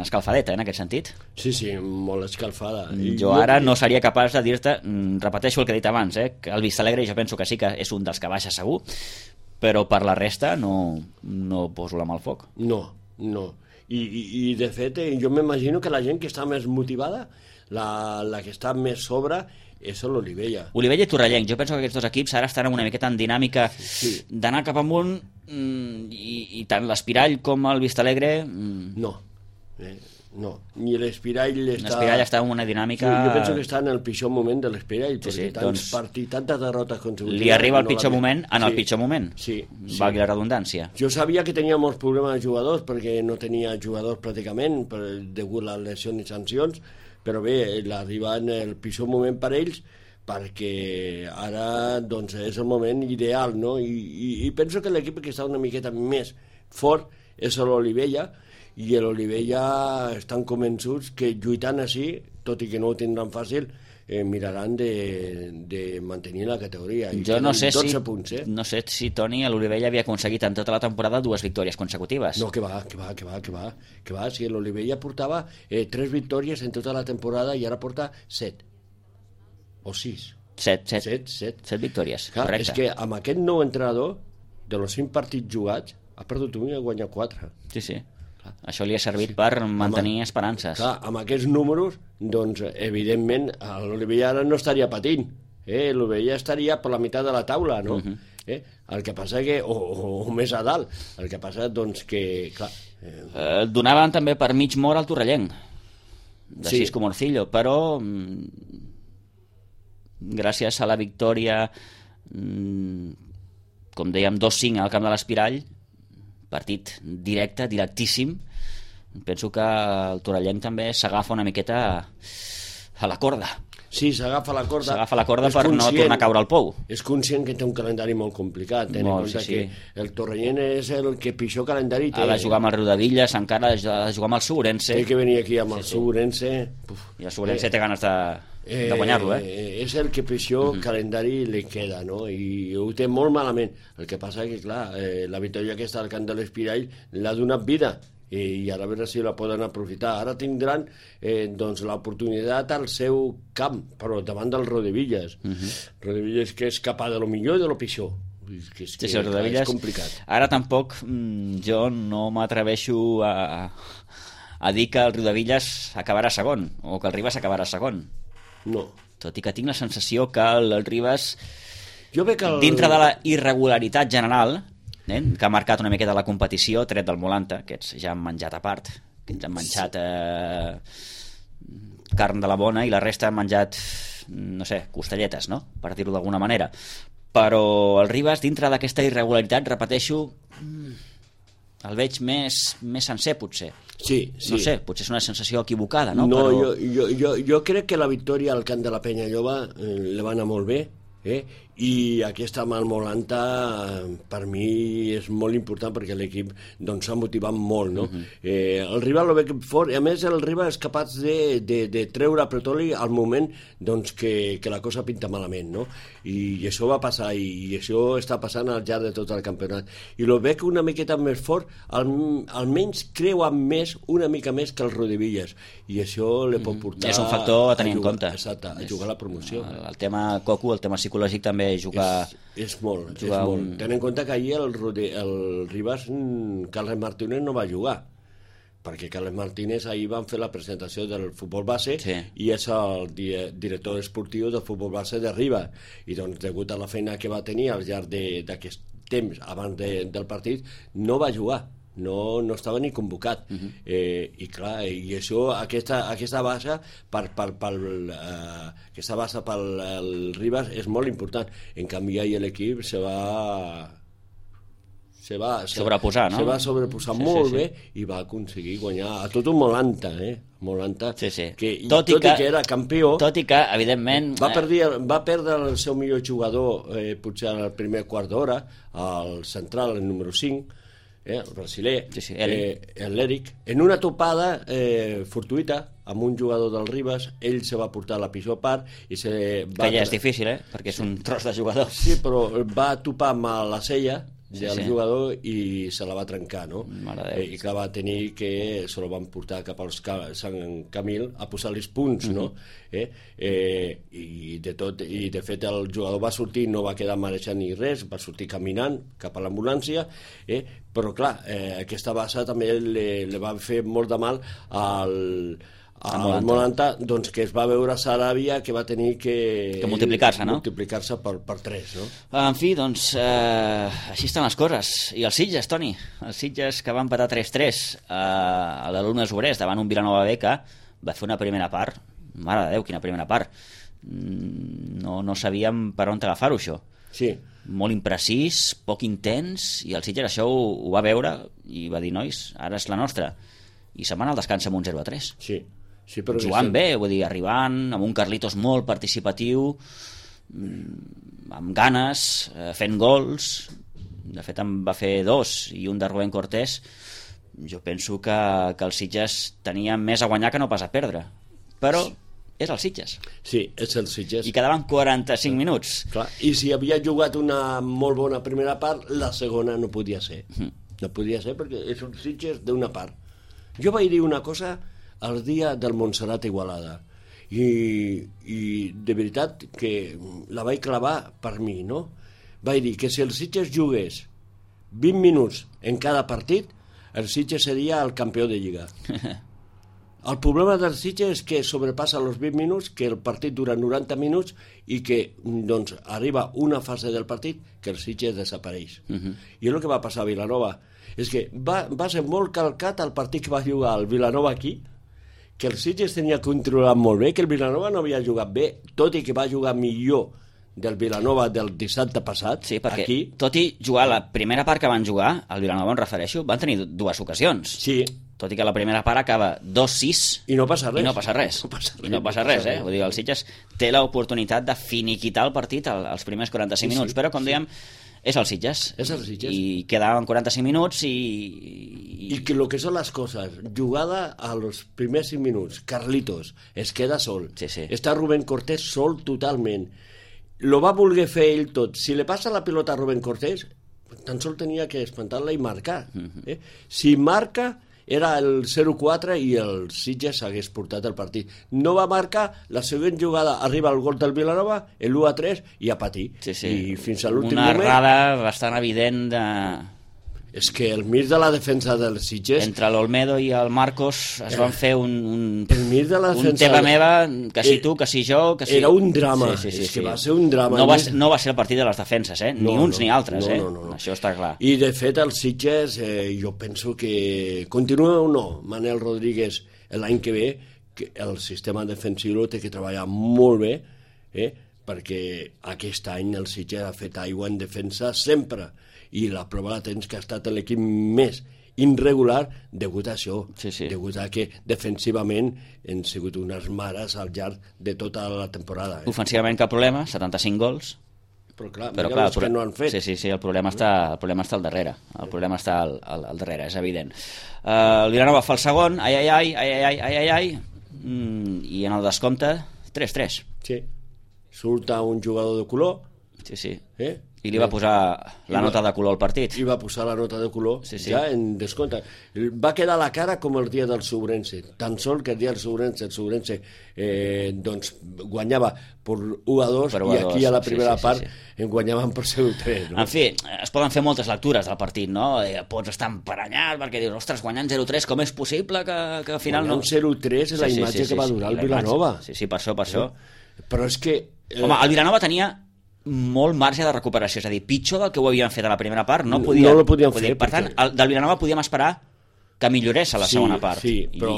escalfadeta, en aquest sentit. Sí, molt escalfada. Jo ara no seria capaç de dir-te, repeteixo el que he dit abans, que el Vistalegre jo penso que sí que és un dels que baixa segur, però per la resta no poso la mà al foc. No. I de fet, jo m'imagino que la gent que està més motivada, la que està més sobre, és l'Olivella. Olivella i Torrellenc. Jo penso que aquests dos equips ara estan una miqueta en dinàmica d'anar cap amunt i tant l'Espirall com el Vistalegre... No, ni l'Espirall està... L'Espirall està en una dinàmica... Sí, jo penso que està en el pitjor moment de l'Espirall, perquè tants partits, tantes derrotes consecutives... Li arriba el pitjor moment en el pitjor moment. Sí. Valgui la redundància. Jo sabia que tenia molts problemes de jugadors, perquè no tenia jugadors pràcticament, degut a les lesions i sancions, però bé, l'arriba en el pitjor moment per ells, perquè ara doncs, és el moment ideal, no? I penso que l'equip que està una miqueta més fort és l'Olivella, i l'Olivella estan convençuts que lluitant així, tot i que no ho tindran fàcil, miraran de mantenir la categoria. Jo no sé, 12 punts, no sé si Toni a l'Olivella havia aconseguit en tota la temporada 2 victòries consecutives. No, que va. Si l'Olivella portava 3 victòries en tota la temporada i ara porta 7 o 6. 7 victòries, clar, correcte. És que amb aquest nou entrenador, de los 5 partits jugats, ha perdut un i ha guanyat 4. Sí. Això li ha servit per mantenir esperances. Clar, amb aquests números, doncs, evidentment, l'Olivella ara no estaria patint. L'Olivella estaria per la meitat de la taula, no? El que passa que... O més a dalt. El que passa, doncs, que... Clar, donaven també per mig mort al Torrellenc, de Xisco Morcillo, però gràcies a la victòria, com dèiem, 2-5 al camp de l'Espirall, partit directe, directíssim, penso que el Torrellenc també s'agafa una miqueta a la corda. Sí, s'agafa la corda. S'agafa la corda per no tornar a caure al pou. És conscient que té un calendari molt complicat. Ten en compte que el Torrellenc és el que pitjor calendari té. Ha de jugar amb el Riudevilles, encara ha de jugar amb el Segurense. Té que venir aquí amb el Segurense. I el Segurense té ganes de guanyar-lo, És el que pitjor calendari li queda, no? I ho té molt malament. El que passa que, clar, la victòria aquesta al camp de l'Espirall l'ha donat vida, i ara a veure si la poden aprofitar. Ara tindran doncs l'oportunitat al seu camp, però davant del Rodevillas. Rodevillas que és capaz de lo millor i de lo pitjor. És complicat. Ara tampoc jo no m'atreveixo a dir que el Riudevillas acabarà segon, o que el Ribas acabarà segon. No. Tot i que tinc la sensació que el Ribas, dintre de la irregularitat general, que ha marcat una miqueta la competició, tret del Molanta, que ja han menjat a part, que ens han menjat carn de la bona, i la resta han menjat, no sé, costelletes, no?, per dir-ho d'alguna manera. Però el Ribas, dintre d'aquesta irregularitat, repeteixo, el veig més sencer, potser. Sí. No sé, potser és una sensació equivocada, no? No, jo crec que la victòria al camp de la Penya Lloba li va anar molt bé, i aquesta amb el Molanta per mi és molt important perquè l'equip s'ha motivat molt, no? El rival lo veig fort, i a més el rival és capaç de treure a Pretoli al moment que la cosa pinta malament, no? I això va passar, i això està passant al llarg de tot el campionat, i lo veig una miqueta més fort, almenys creua una mica més que el Rodevillas, i això li pot portar... És un factor a tenir en compte. Exacte, a jugar a la promoció. El tema coco, el tema psicològic també jugar... És molt. Ten en compte que ahir el Ribas, Carles Martínez no va jugar, perquè Carles Martínez ahir van fer la presentació del futbol base, i és el director esportiu del futbol base de Ribas, i doncs degut a la feina que va tenir al llarg d'aquest temps abans del partit no va jugar, no estava ni convocat, i clar, i això, aquesta base pel Ribas és molt important. En canvi ahir l'equip se va sobreposar, no? Se va sobreposar molt bé, i va aconseguir guanyar a tot un Molanta, tot i que era campió, tot i que evidentment va perdre el seu millor jugador potser al primer quart d'hora, al central, el número 5, el brasiler, l'Eric, en una topada fortuïta amb un jugador del Ribas. Ell se va portar la pitjor part i que ja és difícil, perquè és un tros de jugador. Sí, però va topar amb la cella del jugador i se la va trencar, no? I que va tenir que se la van portar cap al Sant Camil a posar-li punts, no? I de fet el jugador va sortir, no va quedar marejant ni res, va sortir caminant cap a l'ambulància, però clar, aquesta bassa també li va fer molt de mal al Molanta, doncs, que es va veure a Saràbia, que va tenir que multiplicar-se, no? Multiplicar-se per 3, no? En fi, doncs, així estan les coses. I els Sitges, Toni? Els Sitges, que van empatar 3-3 a l'Alumnes Obrers davant un Vilanova B que va fer una primera part. Mare de Déu, quina primera part. No sabíem per on agafar-ho, això. Sí. Molt imprecís, poc intens, i el Sitges això ho va veure i va dir, nois, ara és la nostra. I se'n van al descans amb un 0-3. Sí. Però jugant bé, vull dir, arribant amb un Carlitos molt participatiu, amb ganes, fent gols. De fet en va fer 2 i un de Rubén Cortés, jo penso que el Sitges tenia més a guanyar que no pas a perdre, però és el Sitges. Sí, és el Sitges. I quedaven 45 minuts. Clar. I si havia jugat una molt bona primera part, la segona no podia ser. No podia ser perquè és un Sitges d'una part. Jo vaig dir una cosa el dia del Montserrat Igualada i de veritat que la vaig clavar per mi, no? Vaig dir que si el Sitges jugués 20 minuts en cada partit, el Sitges seria el campió de Lliga. El problema del Sitges és que sobrepassa els 20 minuts, que el partit dura 90 minuts i que doncs, arriba una fase del partit que el Sitges desapareix. I és el que va passar a Vilanova. És que va ser molt calcat el partit que va jugar el Vilanova aquí, que el Sitges tenia controlat molt bé, que el Vilanova no havia jugat bé, tot i que va jugar millor del Vilanova del dissabte passat. Sí, perquè aquí, tot i jugar la primera part que van jugar, el Vilanova em refereixo, van tenir dues ocasions. Sí. Tot i que la primera part acaba 2-6 i no passa res. I no passa res. Vull dir, el Sitges té l'oportunitat de finiquitar el partit als primers 45 minuts, però, com dèiem, és el Sitges. És el Sitges. I quedaven 45 minuts i que el que són les coses, jugada a los primers 5 minuts, Carlitos es queda sol, està Rubén Cortés sol totalment, lo va voler fer ell tot. Si li passa la pilota a Rubén Cortés, tan sol tenia que espantar-la i marcar. Si marca, era el 0-4 i el Sitges hagués portat el partit. No va marcar, la següent jugada arriba el gol del Vilanova, l'1-3 i a patir. I fins a l'últim moment... Una errada bastant evident de... És que el mig de la defensa del Sitges... Entre l'Olmedo i el Marcos es van fer un teva meva, que si tu, que si jo... Que si... Era un drama, és que va ser un drama. No va ser el partit de les defenses, ni uns ni altres, això està clar. I de fet el Sitges, jo penso que continua o no, Manel Rodríguez l'any que ve, que el sistema defensiu té que treballar molt bé, perquè aquest any el Sitges ha fet aigua en defensa sempre, i la prova la tens que ha estat l'equip més irregular degut a això, degut a que defensivament han sigut unes mares al llarg de tota la temporada. Ofensivament cap problema, 75 gols. Però clar, els que no han fet. Sí, el problema està al darrere. El problema està al darrere, és evident. El Vilanova fa el segon, ai, i en el descompte 3-3. Sí, surt un jugador de color. Sí. I li va posar la nota de color al partit. I va posar la nota de color ja en descompte. Va quedar la cara com el dia del Sobrense. Tan sol que el dia del Sobrense doncs guanyava per 1-2 i aquí a la primera part en guanyaven per 0-3. En fi, es poden fer moltes lectures del partit, no? Pots estar emparanyat perquè dius, ostres, guanyant 0-3, com és possible que al final no... Guanyant 0-3 és la imatge que va durar el Vilanova. Sí, per això. Però és que... Home, el Vilanova tenia molt marge de recuperació, és a dir, pitjor del que ho havien fet a la primera part no lo podien fer. Per tant, del Vilanova podíem esperar que millorés a la segona part. Sí, però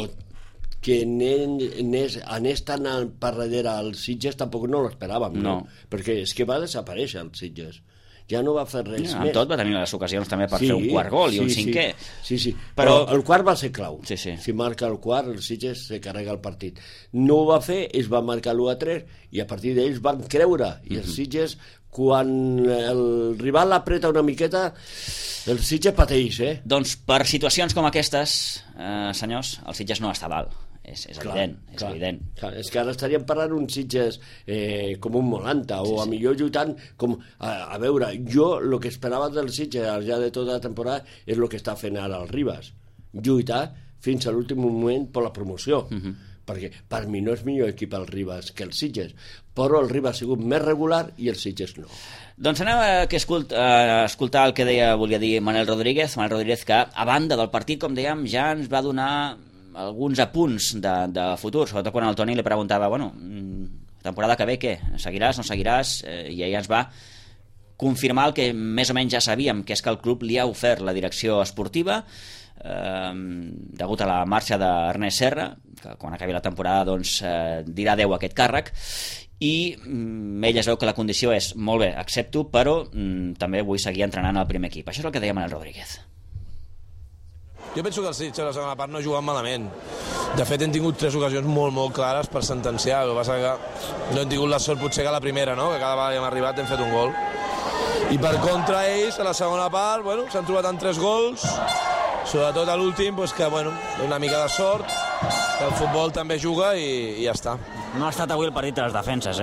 que anés tan per darrere al Sitges tampoc no l'esperàvem, no? Perquè és que va desaparèixer el Sitges. Ja no va fer res més. Amb tot va tenir les ocasions també per fer un quart gol i un cinquè. Sí. Però el quart va ser clau. Si marca el quart, el Sitges se carrega el partit. No ho va fer, ells van marcar l'1-3 i a partir d'ells van creure. I el Sitges, quan el rival l'apreta una miqueta, el Sitges pateix, Doncs per situacions com aquestes, senyors, el Sitges no està dalt. És evident. Clar, és que ara estaríem parlant un Sitges com un Molanta o a millor lluitant com... A veure, jo el que esperava del Sitges al llarg de tota la temporada és el que està fent ara el Ribas, lluitar fins a l'últim moment per la promoció, perquè per mi no és millor equip el Ribas que el Sitges, però el Ribas ha sigut més regular i el Sitges no. Doncs anem a escoltar el que volia dir Manel Rodríguez, que a banda del partit, com dèiem, ja ens va donar alguns apunts de futur, sobretot quan el Toni li preguntava, temporada que ve què? Seguiràs, no seguiràs? I ella ens va confirmar el que més o menys ja sabíem, que és que el club li ha ofert la direcció esportiva degut a la marxa d'Ernest Serra, que quan acabi la temporada doncs, dirà adeu a aquest càrrec, i ell es veu que la condició és molt bé, accepto, però també vull seguir entrenant al primer equip. Això és el que deia Manel Rodríguez. Jo penso que el Sitges a la segona part no ha jugat malament. De fet, hem tingut 3 ocasions molt clares per sentenciar. El que passa que no hem tingut la sort potser que la primera, no? Que cada vegada que hem arribat hem fet un gol. I per contra ells, a la segona part, s'han trobat amb 3 gols sobretot a l'últim, que una mica de sort, que el futbol també juga i ja està. No ha estat avui el partit de les defenses,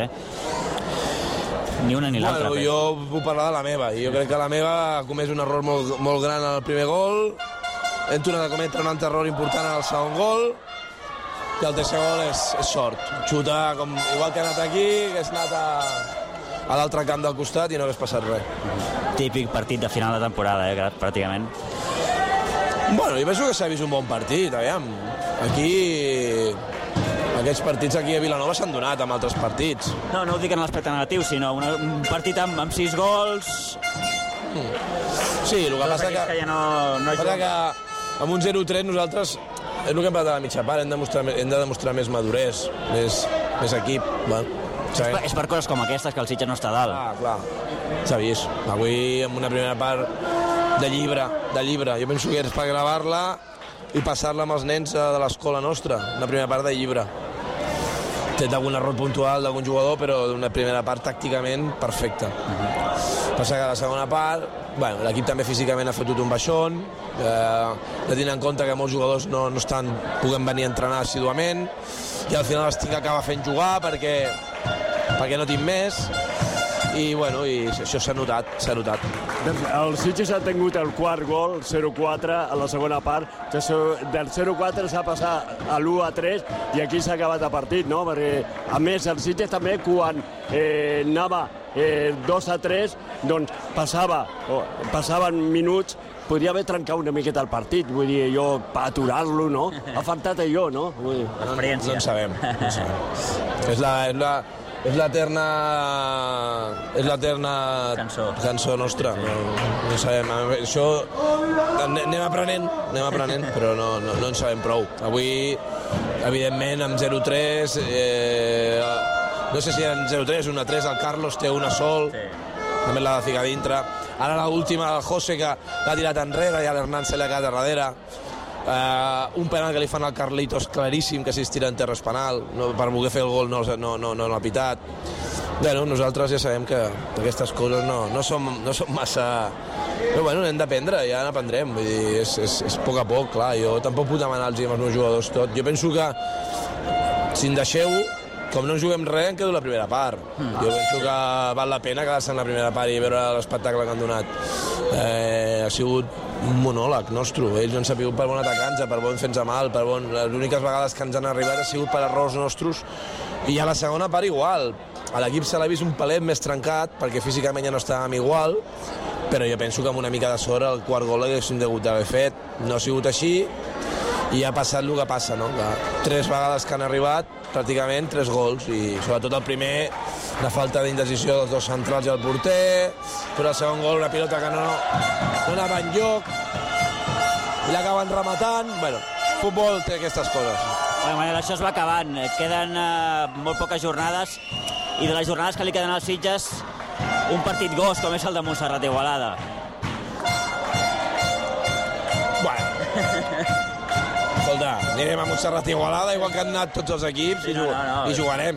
Ni una ni l'altra. Jo puc parlar de la meva. Jo crec que la meva ha comès un error molt gran al primer gol, hem tornat a cometre un altre error important al segon gol, i el tercer gol és sort. Xutar, igual que ha anat aquí, hagués anat a l'altre camp del costat i no hagués passat res. Típic partit de final de temporada, pràcticament. Jo penso que s'ha vist un bon partit, aviam. Aquests partits aquí a Vilanova s'han donat amb altres partits. No ho dic en l'aspecte negatiu, sinó un partit amb 6 gols... Sí, el que passa que amb un 0-3 nosaltres, és el que hem parlat a la mitja part, hem de demostrar més maduresa, més equip. És per coses com aquestes que el Sitges no està dalt. Clar, s'ha vist. Avui, amb una primera part de llibre. Jo penso que és per gravar-la i passar-la amb els nens de l'escola nostra, una primera part de llibre. Té algun error puntual d'algun jugador, però una primera part tàcticament perfecta. Passa que a la segona part, l'equip també físicament ha fotut un baixón, de tenir en compte que molts jugadors no puguen venir a entrenar assíduament, i al final estic acaba fent jugar perquè no tinc més, i això s'ha notat. El Sitges ha tingut el quart gol, 0-4, a la segona part, que del 0-4 s'ha passat a l'1-3 i aquí s'ha acabat el partit, no? Perquè, a més, el Sitges també, quan anava 2-3, doncs passaven minuts, podria haver trencat una miqueta el partit, vull dir, per aturar-lo, no? Ha faltat allò, no? L'experiència. No en sabem. És l'eterna cançó nostra. No sabem. Això anem aprenent, però no en sabem prou. Avui, evidentment, amb 0-3, no sé si eren 0-3, 1-3, el Carlos té una sol, també l'ha de ficar dintre. Ara l'última, el José, que l'ha tirat enrere, i a l'Hernán se l'ha quedat a darrere. Un penal que li fan al Carlitos claríssim, que si es tira en terra és penal, per voler fer el gol no l'ha pitat. Nosaltres ja sabem que aquestes coses no són massa... Però n'hem d'aprendre, ja n'aprendrem, vull dir, és a poc a poc, clar, jo tampoc puc demanar-los als meus jugadors tot. Jo penso que, si em deixeu, com no juguem res, em quedo la primera part. Jo penso que val la pena quedar-se en la primera part i veure l'espectacle que han donat. Ha sigut un monòleg nostre. Ells no han sabut per bon atacar-nos, per bon fer-nos mal, les úniques vegades que ens han arribat ha sigut per errors nostres, i a la segona part igual. A l'equip se l'ha vist un palet més trencat, perquè físicament ja no estàvem igual, però jo penso que amb una mica de sort el quart gol l'haguéssim degut d'haver fet. No ha sigut així, i ha passat el que passa, no? 3 vegades que han arribat, pràcticament 3 gols, i sobretot el primer, la falta d'indecisió dels dos centrals i el porter, però el segon gol, una pilota que no anava enlloc, i l'acaben rematant. Futbol té aquestes coses. Manel, això es va acabant. Queden molt poques jornades, i de les jornades que li queden als Sitges, un partit gos com és el de Montserrat Igualada. Escolta, anirem a Montserrat Igualada, igual que han anat tots els equips, i jugarem.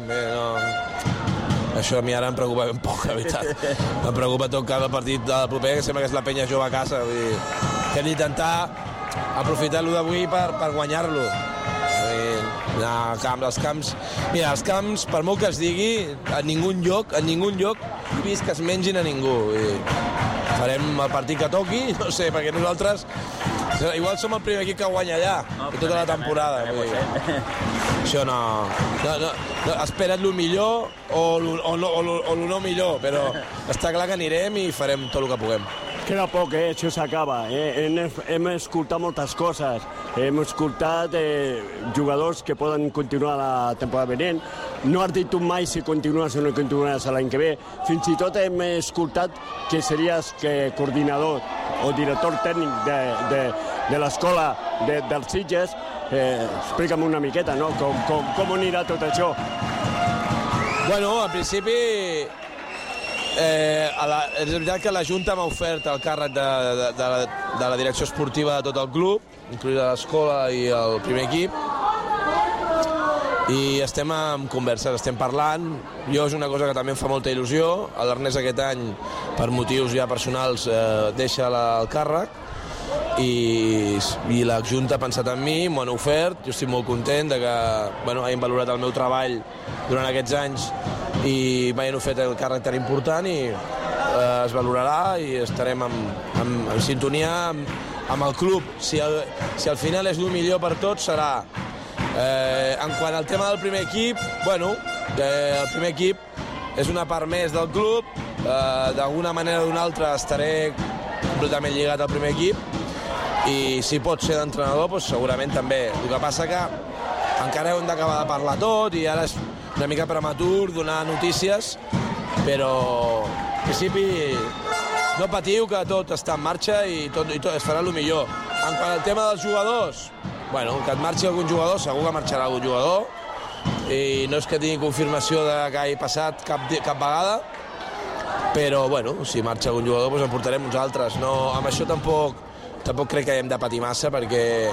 Això a mi ara em preocupa ben poc, la veritat. Em preocupa tot cada partit del proper, que sembla que és la penya jove a casa. Hem d'intentar aprofitar-lo d'avui per guanyar-lo. Els camps, per molt que es digui, en ningú lloc he vist que es mengin a ningú. Farem el partit que toqui, no sé, perquè nosaltres igual som el primer equip que guanya allà, tota la temporada. Això no. Espera't el millor o el no millor, però està clar que anirem i farem tot el que puguem. Queda poc, això s'acaba. Hem escoltat moltes coses. Hem escoltat jugadors que poden continuar la temporada venent. No has dit tu mai si continues o no continues l'any que ve. Fins i tot hem escoltat que series coordinador o director tècnic de l'escola dels Sitges. Explica'm una miqueta, no? Com anirà tot això? Al principi... és veritat que la Junta m'ha ofert el càrrec de la direcció esportiva de tot el club, incloïda l'escola i el primer equip, i estem en converses, estem parlant. Jo és una cosa que també em fa molta il·lusió. L'Ernest aquest any, per motius ja personals, deixa el càrrec, i la Junta ha pensat en mi, m'ho han ofert, jo estic molt content de que hagin valorat el meu treball durant aquests anys i m'hagin ofert el càrrec tan important i es valorarà i estarem en sintonia amb el club. Si al final és el millor per tots, serà. En quant al tema del primer equip, el primer equip és una part més del club, d'alguna manera o d'una altra estaré completament lligat al primer equip i si pot ser d'entrenador, doncs segurament també. El que passa que encara hem d'acabar de parlar tot i ara és una mica prematur donar notícies, però en principi no patiu que tot està en marxa i tot es farà el millor. En quant al tema dels jugadors, que et marxi algun jugador, segur que marxarà algun jugador i no és que tingui confirmació de que hagi passat cap vegada, però si marxa algun jugador doncs en portarem uns altres. No, amb això tampoc crec que hem de patir massa perquè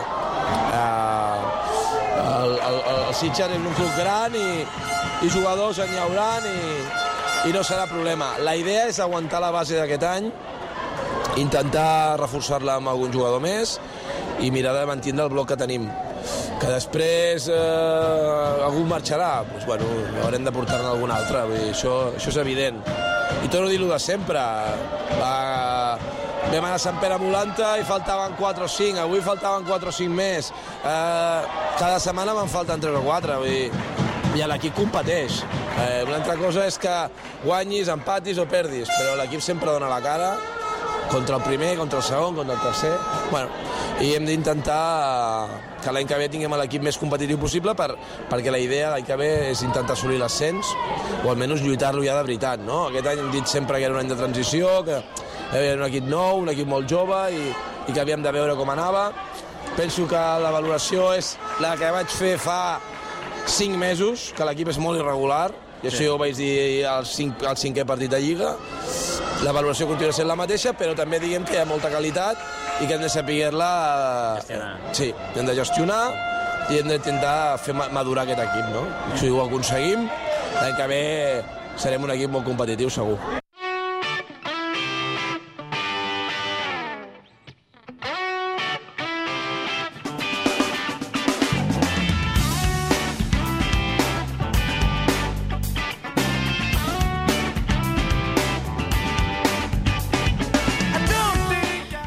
el Sitges és un club gran i jugadors en hi hauran i no serà problema. La idea és aguantar la base d'aquest any, intentar reforçar-la amb algun jugador més i mirar de mantenir el bloc que tenim. Que després algú marxarà, doncs haurem de portar-ne algun altre, això és evident. I torno a dir-ho de sempre, vam anar a Sant Pere Molanta i faltaven 4 o 5, avui faltaven 4 o 5 més, cada setmana me'n falten 3 o 4, i l'equip competeix. Una altra cosa és que guanyis, empatis o perdis, però l'equip sempre dona la cara contra el primer, contra el segon, contra el tercer. I hem d'intentar que l'any que ve tinguem l'equip més competitiu possible perquè la idea l'any que ve és intentar assolir l'ascens o almenys lluitar-lo ja de veritat. Aquest any hem dit sempre que era un any de transició, que era un equip nou, un equip molt jove i que havíem de veure com anava. Penso que la valoració és la que vaig fer fa 5 mesos, que l'equip és molt irregular, i això jo ho vaig dir al 5è partit de Lliga. La valoració continua sent la mateixa, però també diguem que hi ha molta qualitat i que hem de saber-la... Sí, hem de gestionar i hem d'intentar fer madurar aquest equip, no? Si ho aconseguim, l'any que ve serem un equip molt competitiu, segur.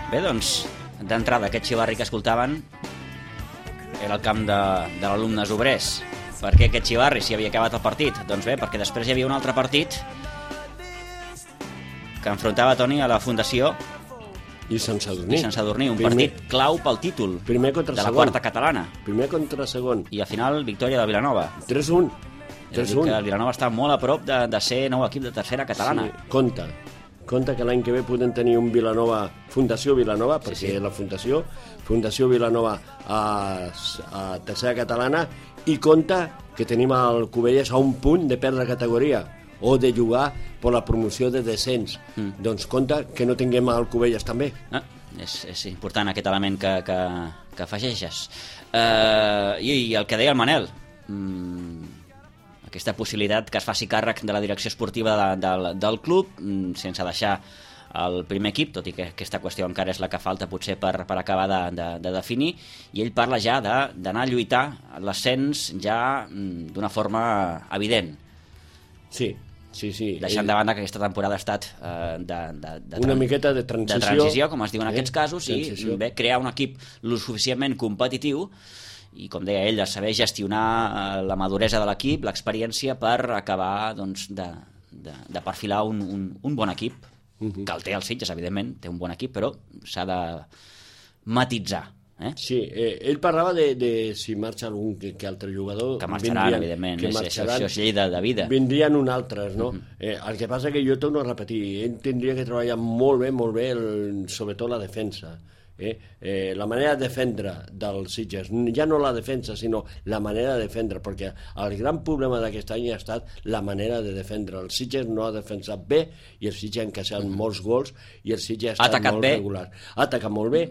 Bé, doncs, d'entrada, aquest xivarri que escoltaven era el camp de l'Alumnes Obrers. Per què aquest xivarri, si havia acabat el partit? Doncs bé, perquè després hi havia un altre partit que enfrontava Toni a la Fundació i Sant Sadurní. Un partit clau pel títol de la quarta catalana. Primer contra segon. I al final, victòria del Vilanova. 3-1. El Vilanova està molt a prop de ser nou equip de tercera catalana. Sí, compte que l'any que ve podem tenir un Vilanova, Fundació Vilanova, perquè la Fundació Vilanova a tercera catalana, i compte que tenim el Cubelles a un punt de perdre categoria o de jugar per la promoció de descens. Doncs compte que no tinguem el Cubelles també. És important aquest element que afegeixes. I el que deia el Manel, aquesta possibilitat que es faci càrrec de la direcció esportiva del club sense deixar el primer equip, tot i que aquesta qüestió encara és la que falta potser per acabar de definir, i ell parla ja d'anar a lluitar l'ascens ja d'una forma evident. Sí. Deixant de banda que aquesta temporada ha estat una miqueta de transició, com es diu en aquests casos, i crear un equip lo suficientment competitiu i, com deia ell, de saber gestionar la maduresa de l'equip, l'experiència per acabar de perfilar un bon equip, que el té el Sitges, evidentment, té un bon equip, però s'ha de matitzar. Sí, ell parlava de si marxa algun que altre jugador... Que marxaran, evidentment, això és llei de vida. Vindrien un altres, no? El que passa que jo torno a repetir, ell tindria que treballar molt bé, sobretot la defensa. La manera de defendre del Sitges, ja no la defensa sinó la manera de defendre, perquè el gran problema d'aquest any ha estat la manera de defendre. El Sitges no ha defensat bé i el Sitges ha encaixat molts gols i el Sitges ha estat molt regular. Ha atacat molt bé,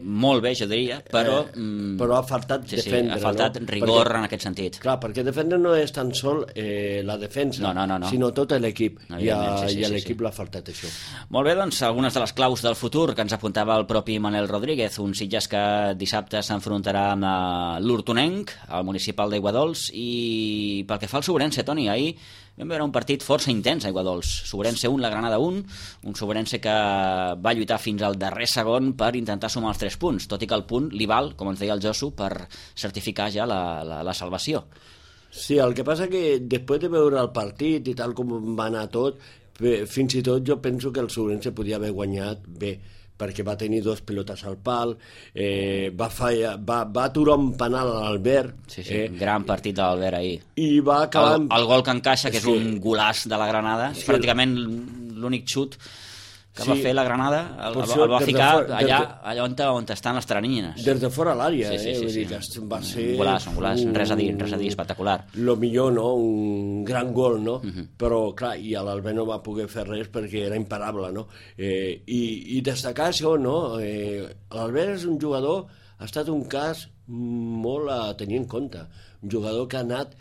jo diria, però ha faltat defendre, ha faltat rigor en aquest sentit. Clar, perquè defendre no és tan sol la defensa, sinó tot l'equip, i a l'equip l'ha faltat això. Molt bé, doncs algunes de les claus del futur que ens apuntava el propi Manel Rodríguez. un Sitges que dissabte s'enfrontarà amb l'Hortonenc, al municipal d'Aiguadols, i pel que fa al Sobrense, Toni, ahir vam veure un partit força intens a Aiguadols. Sobrense 1, la Granada 1, un Sobrense que va lluitar fins al darrer segon per intentar sumar els 3 punts, tot i que el punt li val, com ens deia el Josu, per certificar ja la salvació. Sí, el que passa que després de veure el partit i tal com va anar tot, fins i tot jo penso que el Sobrense podia haver guanyat bé, perquè va tenir 2 pilotes al pal, va aturar un penal a l'Albert. Sí, gran partit de l'Albert ahir. I va acabar... El gol que encaixa, que és un golaç de la Granada, és pràcticament l'únic xut que va fer la Granada, el va ficar allà on estan les teranyines. Des de fora l'àrea, sí. Va ser... Un golaç, res a dir, espectacular. Lo millor, no? Un gran gol, no? Però, clar, i l'Albert no va poder fer res perquè era imparable, no? I destacar això, no? L'Albert és un jugador, ha estat un cas molt a tenir en compte. Un jugador que ha anat...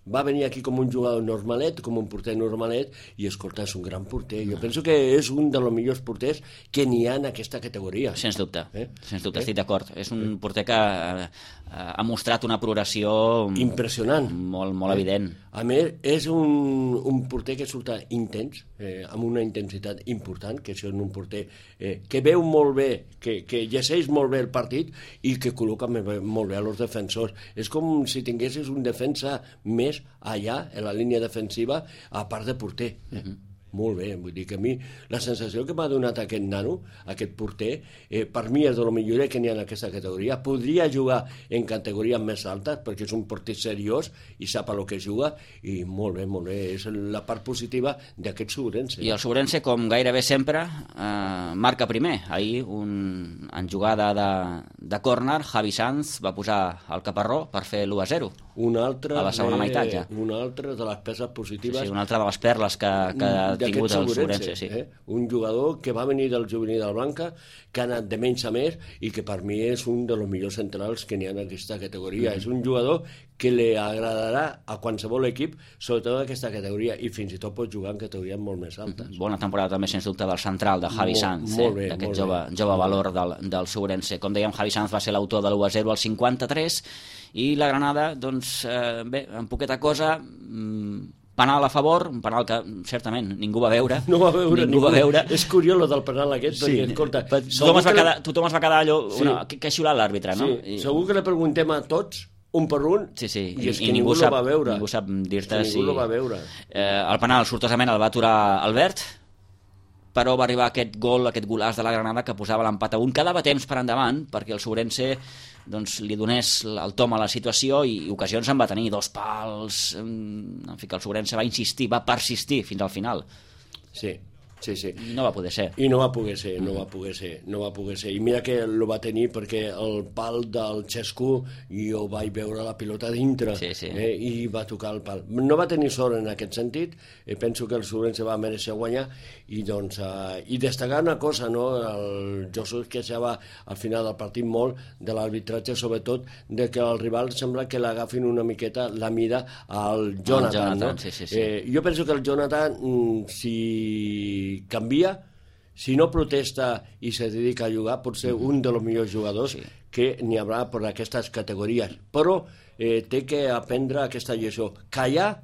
va venir aquí com un jugador normalet, com un porter normalet, i escolta, és un gran porter. Jo penso que és un dels millors porters que n'hi ha en aquesta categoria. Sens dubte, estic d'acord. És un porter que ha mostrat una progressió impressionant, molt evident. A més, és un porter que surt intens, amb una intensitat important, que és un porter que veu molt bé, que llegeix molt bé el partit i que col·loca molt bé a els defensors. És com si tinguessis un defensa més allà, en la línia defensiva, a part de porter. Molt bé, vull dir que a mi la sensació que m'ha donat aquest nano, aquest porter, per mi és de lo millor que n'hi ha en aquesta categoria. Podria jugar en categories més altes perquè és un porter seriós i sap a lo que juga, i molt bé, és la part positiva d'aquest Sobrense. I el Sobrense, com gairebé sempre, marca primer. Ahir, en jugada de córner, Javi Sanz va posar el caparró per fer l'1-0 a la segona meitat ja. Una altra de les peces positives. Sí, una altra de les perles que ha tingut el Sobrense. Sí. Un jugador que va venir del juvenil del Blanca, que ha anat de menys a més i que per mi és un dels millors centrals que n'hi ha en aquesta categoria. És un jugador que li agradarà a qualsevol equip, sobretot en aquesta categoria, i fins i tot pot jugar en categories molt més altes. Bona temporada també, sens dubte, del central, de Javi Sanz, d'aquest jove valor del Sobrense. Com dèiem, Javi Sanz va ser l'autor de l'1-0 al 53, i la Granada, doncs, bé, en poqueta cosa, penal a favor, un penal que certament ningú va veure. No va veure. És curiós el del penal aquest, perquè, escolta... Tothom es va quedar allò... Què ha xiulat l'àrbitre, no? Segur que li preguntem a tots, un per un, i és que ningú no va veure. Ningú sap dir-te si... Ningú no va veure. El penal, sortosament, el va aturar Albert, però va arribar aquest golaç de la Granada que posava l'empat a 1. Quedava temps per endavant perquè el Sobrense li donés el tom a la situació, i ocasions en va tenir, 2 pals, en fi, que el Sobrense va insistir, va persistir fins al final. Sí. I no va poder ser. I no va poder ser. I mira que el va tenir perquè el pal del Xescu jo vaig veure la pilota dintre, i va tocar el pal. No va tenir sort en aquest sentit, penso que el Sobrense va mereixer guanyar, i destacar una cosa, no? El Josu es queixava al final del partit molt de l'arbitratge, sobretot de que el rival sembla que l'agafin una miqueta la mira al Jonathan, no? Jo penso que el Jonathan, si canvia, si no protesta i se dedica a jugar, pot ser un dels millors jugadors que n'hi haurà per aquestes categories, però té que aprendre aquesta lliçó, callar,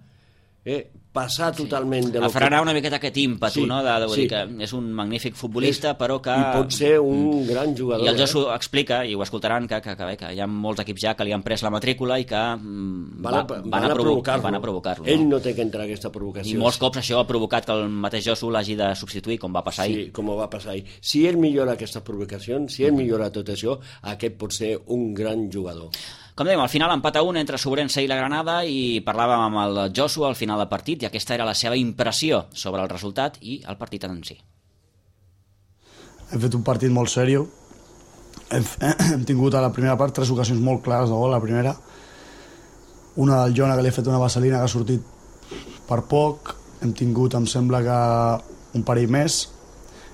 passar totalment de... Frenar una miqueta aquest ímpetu, no? Vull dir que és un magnífic futbolista, però que... I pot ser un gran jugador. I el Josu explica, i ho escoltaran, que hi ha molts equips ja que li han pres la matrícula i que van a provocar-lo. Ell no té que entrar a aquesta provocació. I molts cops això ha provocat que el mateix Josu l'hagi de substituir, com va passar ahir. Sí, com va passar ahir. Si ell millora aquestes provocacions, si ell millora tot això, aquest pot ser un gran jugador. Com dèiem, al final empat a 1 entre Sobrense i la Granada, i parlàvem amb el Josu al final del partit, i aquesta era la seva impressió sobre el resultat i el partit en si. Hem fet un partit molt seriós. Hem tingut a la primera part 3 ocasions molt clares de gol. La primera, una del Jona, que li ha fet una vaselina que ha sortit per poc. Hem tingut, em sembla que un parell més.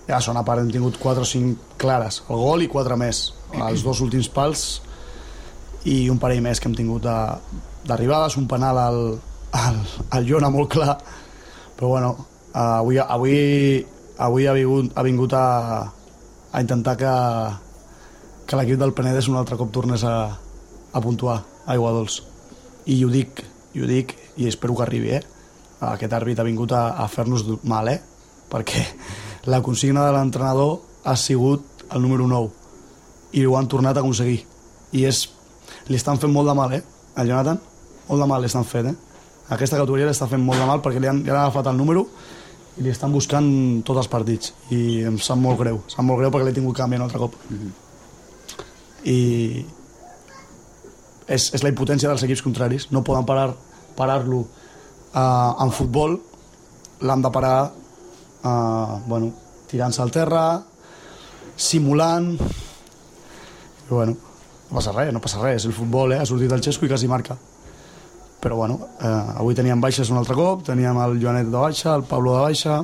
I a la segona part hem tingut 4 o 5 clares. El gol i 4 més. Els 2 últims pals i un parell més que hem tingut d'arribades, un penal al Jona molt clar, però bueno, avui ha vingut a intentar que l'equip del Penedès un altre cop tornés a puntuar a Aiguadols. I ho dic i espero que arribi, Aquest àrbit ha vingut a fer-nos mal, perquè la consigna de l'entrenador ha sigut el número 9 i ho han tornat a aconseguir. I li estan fent molt de mal, al Jonathan, molt de mal li estan fent, Aquesta categoria li està fent molt de mal perquè li han agafat el número i li estan buscant tots els partits i em sap molt greu perquè l'he tingut canviant un altre cop. I és la impotència dels equips contraris, no poden parar-lo en futbol, l'han de parar tirant-se al terra, simulant, i no passa res, és el futbol, ha sortit el Xesco i quasi marca. Però avui teníem baixes un altre cop, teníem el Joanet de baixa, el Pablo de baixa,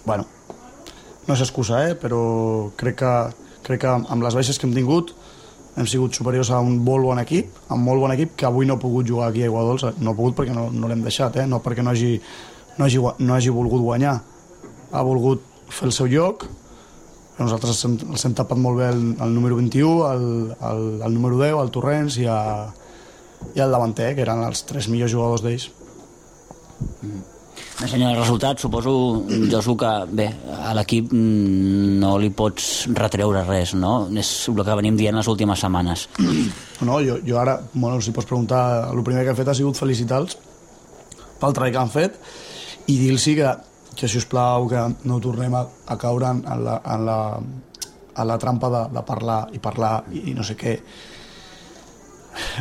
no és excusa, però crec que amb les baixes que hem tingut hem sigut superiors a un molt bon equip, que avui no ha pogut jugar aquí a Aiguadols, no ha pogut perquè no l'hem deixat, no perquè no hagi volgut guanyar, ha volgut fer el seu lloc, però nosaltres els hem tapat molt bé el número 21, el número 10, el Torrents i el davanter, que eren els 3 millors jugadors d'ells. Senyor, el resultat, suposo, Josu, que bé, a l'equip no li pots retreure res, no? És el que venim dient les últimes setmanes. No, jo ara, si pots preguntar, el primer que he fet ha sigut felicitar-los pel treball que han fet i dir-los que si us plau, que no tornem a caure en la trampa de parlar i no sé què.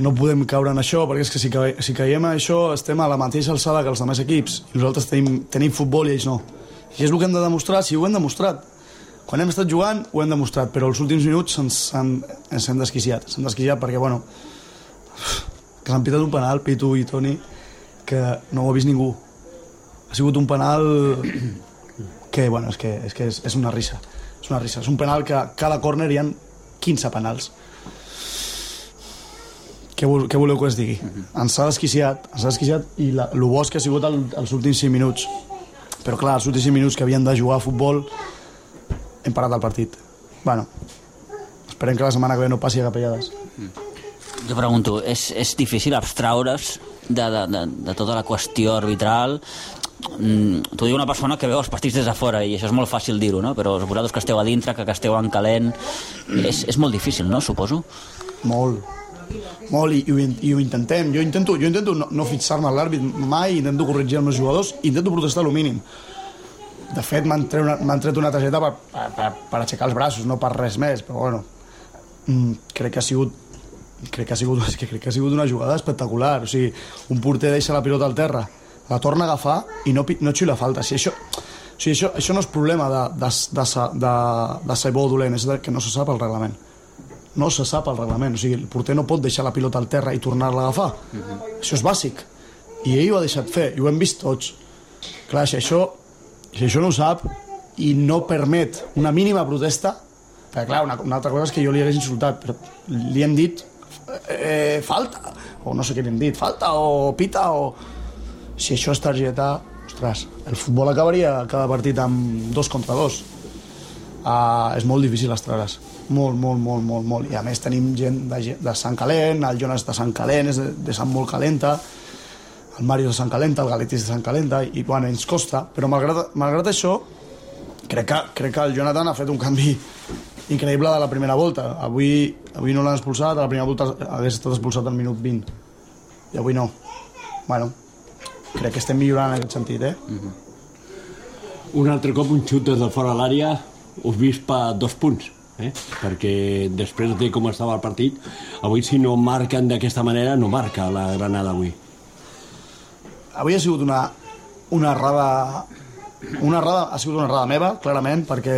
No podem caure en això, perquè és que si caiem en això estem a la mateixa alçada que els altres equips i nosaltres tenim futbol i ells no. I és el que hem de demostrar, si ho hem demostrat. Quan hem estat jugant ho hem demostrat, però els últims minuts ens hem desquiciat. S'han desquiciat perquè, que s'han pitat un penal, Pitu i Toni, que no ho ha vist ningú. Ha sigut un penal que, és una risa. És una risa. És un penal que a cada córner hi ha 15 penals. Què voleu que us digui? Ens ha desquiciat i el bo és que ha sigut els últims 5 minuts. Però clar, els últims 5 minuts que havien de jugar a futbol hem parat el partit. Esperem que la setmana que ve no passi a capellades. Jo pregunto, és difícil abstraure's de tota la qüestió arbitral? T'ho diu una persona que veu els partits des de fora i això és molt fàcil dir-ho, no? Però vosaltres que esteu a dintre, que esteu en calent, és molt difícil, no? Suposo. Molt, i ho intentem. Jo intento no fixar-me a l'àrbit mai, intento corregir els meus jugadors, intento protestar el mínim. De fet, m'han tret una targeta per aixecar els braços, no per res més, però crec que ha sigut una jugada espectacular. O sigui, un porter deixa la pilota al terra, la torna a agafar i no xuila falta. Això no és problema de ser bo o dolent, és que no se sap el reglament. No se sap el reglament, o sigui, el porter no pot deixar la pilota al terra i tornar-la a agafar. Això és bàsic. I ell ho ha deixat fer, i ho hem vist tots. Clar, si això no ho sap i no permet una mínima protesta, perquè clar, una altra cosa és que jo li hagués insultat, però li hem dit falta, o no sé què li hem dit, falta o pita, o... Si això és targeta, ostres, el futbol acabaria cada partit amb 2 contra 2. És molt difícil extraure's. Molt. I a més tenim gent de Sant Calent, el Jonas de Sant Calent és de Sant Molt Calenta, el Mario de Sant Calenta, el Galetis de Sant Calenta, i ens costa, però malgrat això crec que el Jonathan ha fet un canvi increïble de la primera volta. Avui no l'han expulsat, a la primera volta hagués estat expulsat al minut 20 i avui no. Crec que estem millorant en aquest sentit, Un altre cop un xut des del fora de l'àrea us vist per 2 punts, perquè després de com estava el partit, avui si no marquen d'aquesta manera no marca la Granada avui. Avui ha sigut una errada ha sigut una errada meva, clarament, perquè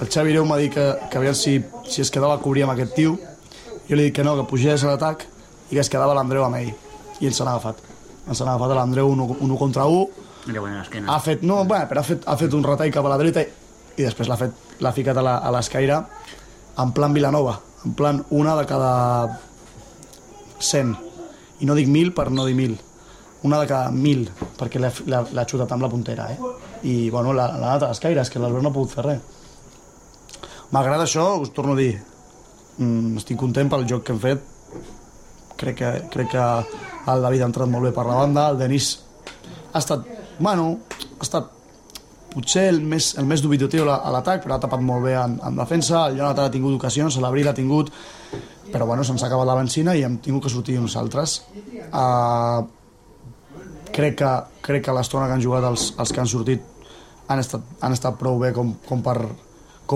el Xavi Ireu m'ha dit que aviam si es quedava a cobrir amb aquest tio. Jo li he dit que no, que pugés a l'atac i que es quedava l'Andreu amb ell, i ens han agafat a l'Andreu 1 contra 1. Ha fet un retall cap a la dreta i després l'ha ficat a l'escaire en plan Vilanova, en plan una de cada 100, i no dic 1.000 per no dir 1.000, una de cada 1.000, perquè l'ha xutat amb la puntera, i l'ha anat a l'escaire, és que l'Albert no ha pogut fer res. Malgrat això, us torno a dir, estic content pel joc que hem fet. Crec que el David ha entrat molt bé per la banda, el Denis ha estat potser el més dubitatiu a l'atac, però ha tapat molt bé en defensa, el Jonathan ha tingut ocasions, l'Abril ha tingut, però bueno, se'ns ha acabat la benzina i hem tingut que sortir nosaltres. Crec que l'estona que han jugat els que han sortit han estat prou bé com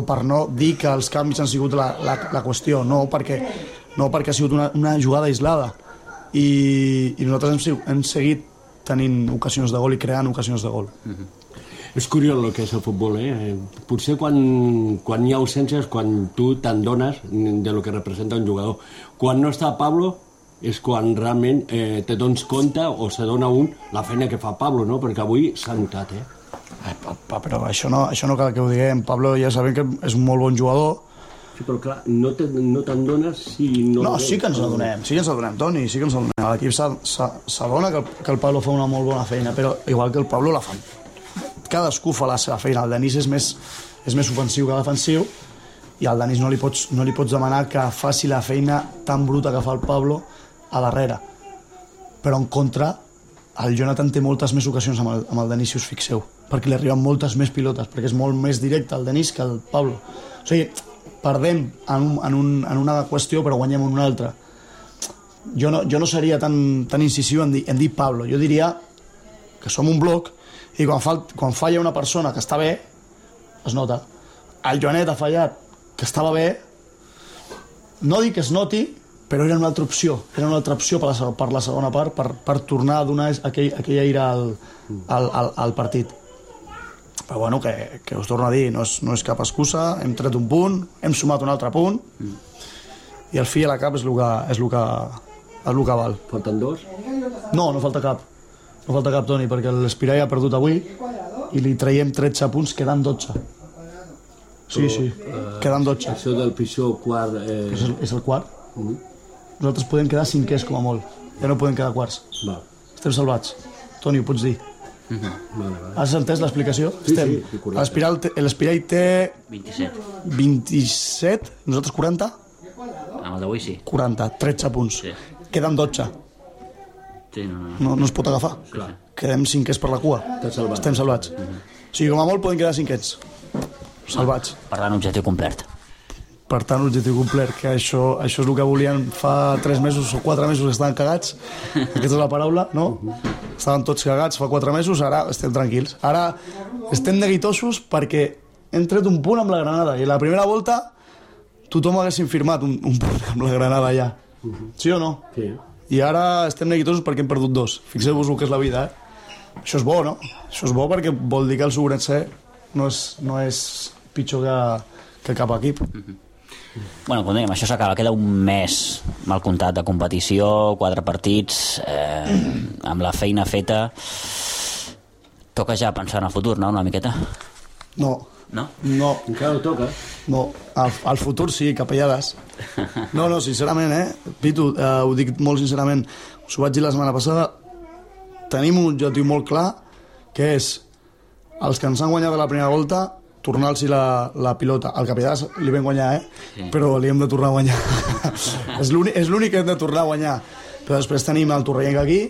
per no dir que els canvis han sigut la qüestió, no perquè ha sigut una jugada aislada i nosaltres hem seguit tenint ocasions de gol i creant ocasions de gol. És curiós el que és el futbol, Potser quan hi ha ausències, quan tu te'n dones de lo que representa un jugador. Quan no està Pablo és quan realment te dones compte o se dona la feina que fa Pablo, no? Perquè avui s'ha notat, Però això no cal que ho diguem. Pablo ja sabem que és un molt bon jugador. Sí, però clar, no te'n dones si no... No, sí que ens adonem, Toni, sí que ens adonem. L'equip s'adona que el Pablo fa una molt bona feina, però igual que el Pablo la fa. Cadascú fa la seva feina. El Denis és més ofensiu que defensiu i al Denis no li pots demanar que faci la feina tan bruta que fa el Pablo a darrere. Però en contra, el Jonathan té moltes més ocasions amb el Denis, si us fixeu, perquè li arriben moltes més pilotes, perquè és molt més directe el Denis que el Pablo. O sigui, perdem en una qüestió però guanyem en una altra. Jo no seria tan incisiu en dir Pablo. Jo diria que som un bloc i quan falla una persona que està bé es nota. El Joanet ha fallat que estava bé, no dic que es noti, però era una altra opció per la segona part, per tornar a donar aquell aire al partit. Però bueno, que us torno a dir, no és cap excusa, hem tret un punt, hem sumat un altre punt i el fi a la cap és el que val. Falten dos? No falta cap. No falta cap, Toni, perquè l'Espirai ha perdut avui i li traiem 13 punts, quedant 12. Sí, quedant 12. Això del pitjor quart... És el quart. Nosaltres podem quedar cinquers com a molt, ja no podem quedar quarts. Estem salvats. Toni, ho pots dir. Has entès l'explicació? Sí, correcte. L'Espirai té 27, nosaltres 40? Amb el d'avui sí. 40, 13 punts. Queden 12. No es pot agafar. Quedem cinquers per la cua. Estem salvats. O sigui, com a molt poden quedar cinquers. Salvats. Per tant, objectiu complert. Per tant, objectiu complet, que això és el que volien fa 3 mesos o 4 mesos que estaven cagats. Aquesta és la paraula, no? Estaven tots cagats fa 4 mesos, ara estem tranquils. Ara estem neguitosos perquè hem tret un punt amb la Granada i la primera volta tothom haguéssim firmat un punt amb la Granada ja. Sí o no? Sí. I ara estem neguitosos perquè hem perdut 2. Fixeu-vos el que és la vida, Això és bo, no? Això és bo perquè vol dir que el Sobrense no és pitjor que cap equip. Bueno, com dèiem, això s'acaba. Queda un mes mal comptat de competició, 4 partits, amb la feina feta. Toca ja pensar en el futur, no?, una miqueta? No. Encara no toca? No, al futur sí, capellades. No, sincerament, Pitu, ho dic molt sincerament, us ho vaig dir la setmana passada, tenim un objectiu molt clar, que és els que ens han guanyat a la primera volta, tornar-los la pilota. Al capellades li vam guanyar, Sí. Però li hem de tornar a guanyar. És l'únic que hem de tornar a guanyar. Però després tenim el Torrellenc aquí,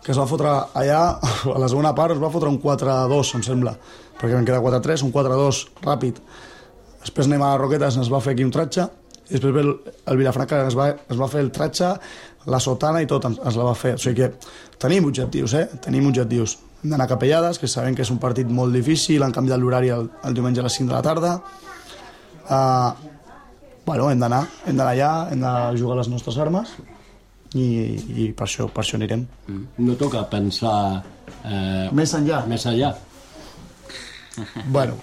que es va fotre allà, a la segona part es va fotre un 4-2, em sembla, perquè vam quedar 4-3, un 4-2 ràpid. Després anem a Roquetes, es va fer aquí un tratge, i després ve el Vilafranca, es va fer el tratge, la sotana i tot ens la va fer. O sigui que tenim objectius, tenim objectius. Hem d'anar a Capellades, que sabem que és un partit molt difícil, han canviat l'horari el diumenge a les 5 de la tarda. Hem d'anar allà, hem de jugar les nostres armes, i per això anirem. No toca pensar més enllà. Bueno,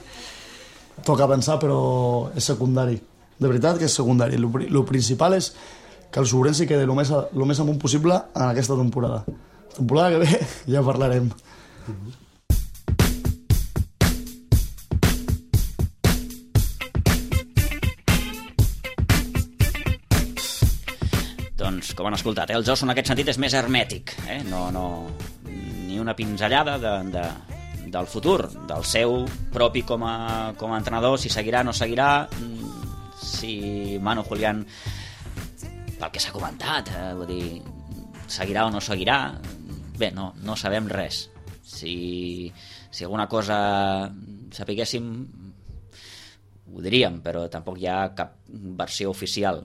toca pensar, però és secundari. De veritat que és secundari. El principal és que el Sobrense quedi el més amunt possible en aquesta temporada. La temporada que ve ja parlarem. Doncs, com han escoltat, el Josu en aquest sentit és més hermètic, ni una pinzellada del futur, del seu propi com a entrenador, si seguirà o no seguirà, si Manu Julián, pel que s'ha comentat, vull dir, seguirà o no seguirà, bé, no sabem res. Si alguna cosa sapiguéssim, ho diríem, però tampoc hi ha cap versió oficial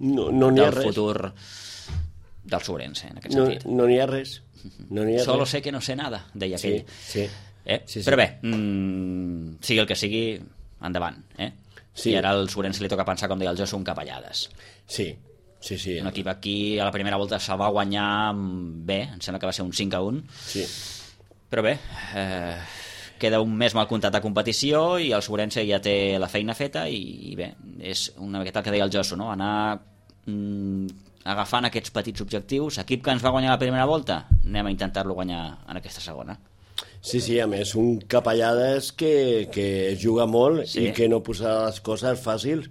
del futur del Sobrense, en aquest sentit. No n'hi ha res. Solo sé que no sé nada, deia aquell. Sí. Però bé, sigui el que sigui, endavant. I ara al Sobrense li toca pensar, com deia el Josu, un capellades. Sí. Un equip aquí a la primera volta se'l va guanyar bé, em sembla que va ser un 5-1. Sí. Però bé, queda un mes mal comptat de competició i el Sobrense ja té la feina feta i bé, és una miqueta el que deia el Josu, no? Anar agafant aquests petits objectius. Equip que ens va guanyar la primera volta, anem a intentar-lo guanyar en aquesta segona. Sí, a més, un capellades que juga molt i que no posa les coses fàcils,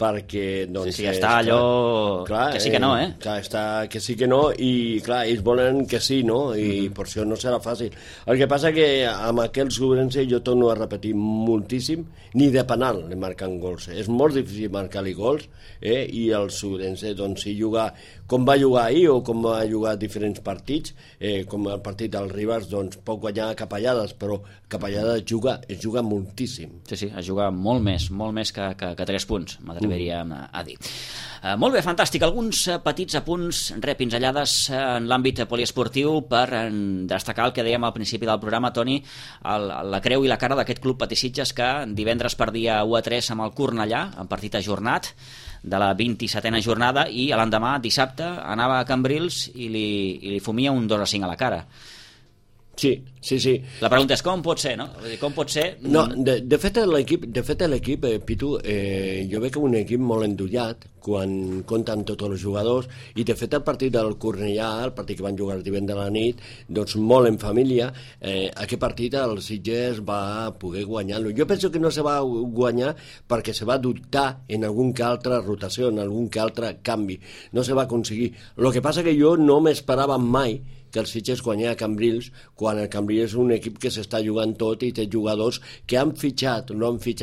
perquè doncs, està allò que sí que no, clar, està que sí que no i clar, ells volen que sí, no? I per això no serà fàcil. El que passa que amb aquell Sobrense, jo torno a repetir moltíssim, ni de penal li marquen gols. És molt difícil marcar-li gols, i el Sobrense, doncs, si juga com va jugar ahir o com va jugar diferents partits, com el partit del Ribas, doncs pot guanyar capellades, però capellades es juga moltíssim. Sí, es juga molt més que 3 punts, m'atreviríem a dir. Molt bé, fantàstic. Alguns petits apunts, pinzellades en l'àmbit poliesportiu per destacar el que dèiem al principi del programa, Toni, la creu i la cara d'aquest club Patisitges que divendres perdia 1-3 amb el Cornellà, en partit ajornat de la 27a jornada, i l'endemà, dissabte, anava a Cambrils i li fumia un 2-5 a la cara. Sí. La pregunta és com pot ser, no? Com pot ser? No, de fet l'equip, Pitu, jo veig un equip molt endollat quan compten tots els jugadors, i de fet el partit del Cornellà, el partit que van jugar el divendres a la nit, doncs molt en família, aquest partit el Sitges va poder guanyar-lo. Jo penso que no se va guanyar perquè se va dubtar en algun que altra rotació, en algun que altre canvi. No se va aconseguir. El que passa que jo no m'esperava mai que el Sitges guanyés a Cambrils, quan el Cambrils és un equip que s'està jugant tot i té jugadors que han fitxat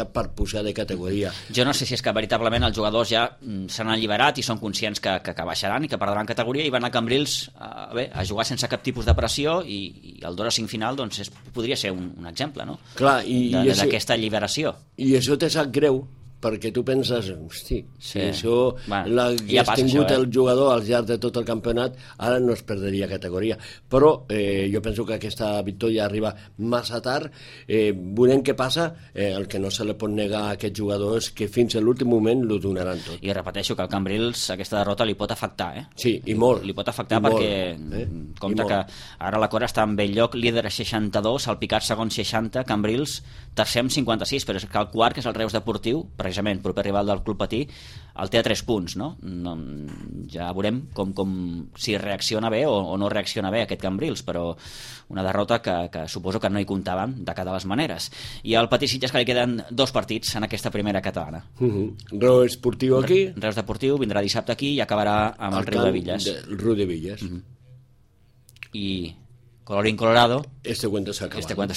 per pujar de categoria. Jo no sé si és que veritablement els jugadors ja s'han alliberat i són conscients que baixaran i que perdran categoria i van a Cambrils a jugar sense cap tipus de pressió, i el 2-5 final doncs podria ser un exemple, no? Clar, d'aquesta alliberació. I això te sap greu, perquè tu penses, hosti, si això l'hagués tingut el jugador al llarg de tot el campionat, ara no es perdria categoria. Però jo penso que aquesta victòria arriba massa tard. Veurem què passa. El que no se li pot negar a aquest jugador és que fins a l'últim moment l'ho donaran tot. I repeteixo que al Cambrils aquesta derrota li pot afectar, Sí, i molt. Li pot afectar perquè compta que ara la Cora està en bell lloc, líder a 62, el Picat segon 60, Cambrils tercer amb 56, però és que el quart, que és el Reus Deportiu, precisament proper rival del Club Patí, el té a 3 punts, no? Ja veurem si reacciona bé o no reacciona bé aquest Cambrils, però una derrota que suposo que no hi comptaven de cada les maneres. I al Patí Sitges que li queden 2 partits en aquesta primera catalana. Reus Deportiu aquí. Reus Deportiu vindrà dissabte aquí i acabarà amb el Riu de Villas. El Riu de Villas. I colorín colorado, este cuento se ha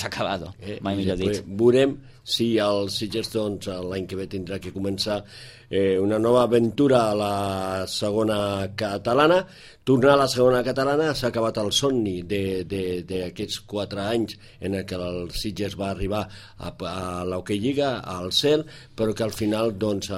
acabado. Mai millor dit. Veurem si el Sitges l'any que ve tindrà que començar una nova aventura a la segona catalana. Tornar a la segona catalana, s'ha acabat el somni d'aquests 4 anys en què el Sitges va arribar a l'Hockey Lliga, al cel, però que al final doncs...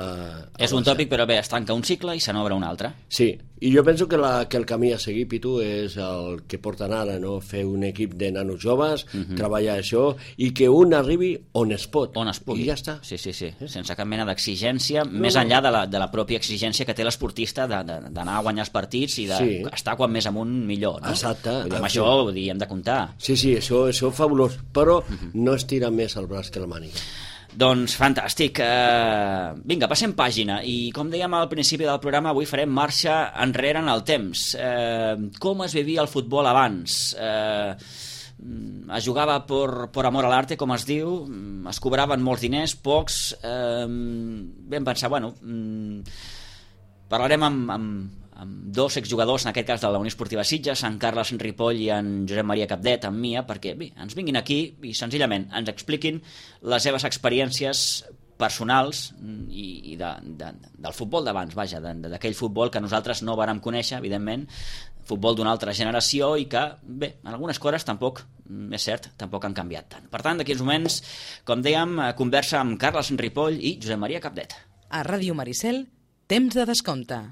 És un tòpic, però bé, es tanca un cicle i se n'obre un altre. Sí, i jo penso que el camí a seguir, Pitu, és el que porten ara, no? Fer un equip de nanos joves, treballar això, i que un arribi on es pot. On es pugui. I ja està. Sí, sense cap mena d'exigència, més enllà de la pròpia exigència que té l'esportista d'anar a guanyar els partits i d'estar quan més amunt millor, no? Exacte. Amb això hem de comptar. Sí, això és fabulós, però no es tira més el braç que la màniga. Doncs fantàstic. Vinga, passem pàgina. I com dèiem al principi del programa, avui farem marxa enrere en el temps. Com es vivia el futbol abans? Es jugava por amor a l'arte, com es diu, es cobraven molts diners, pocs. Vam pensar, parlarem amb 2 exjugadors, en aquest cas de la Unió Esportiva Sitges, en Carles Ripoll i en Josep Maria Capdet, amb Mia, perquè ens vinguin aquí i senzillament ens expliquin les seves experiències personals i del futbol d'abans, vaja, d'aquell futbol que nosaltres no vàrem conèixer, evidentment, futbol d'una altra generació i que, bé, algunes coses tampoc, és cert, tampoc han canviat tant. Per tant, d'aquí uns moments, com dèiem, conversa amb Carles Ripoll i Josep Maria Capdet. A Ràdio Maricel, temps de descompte.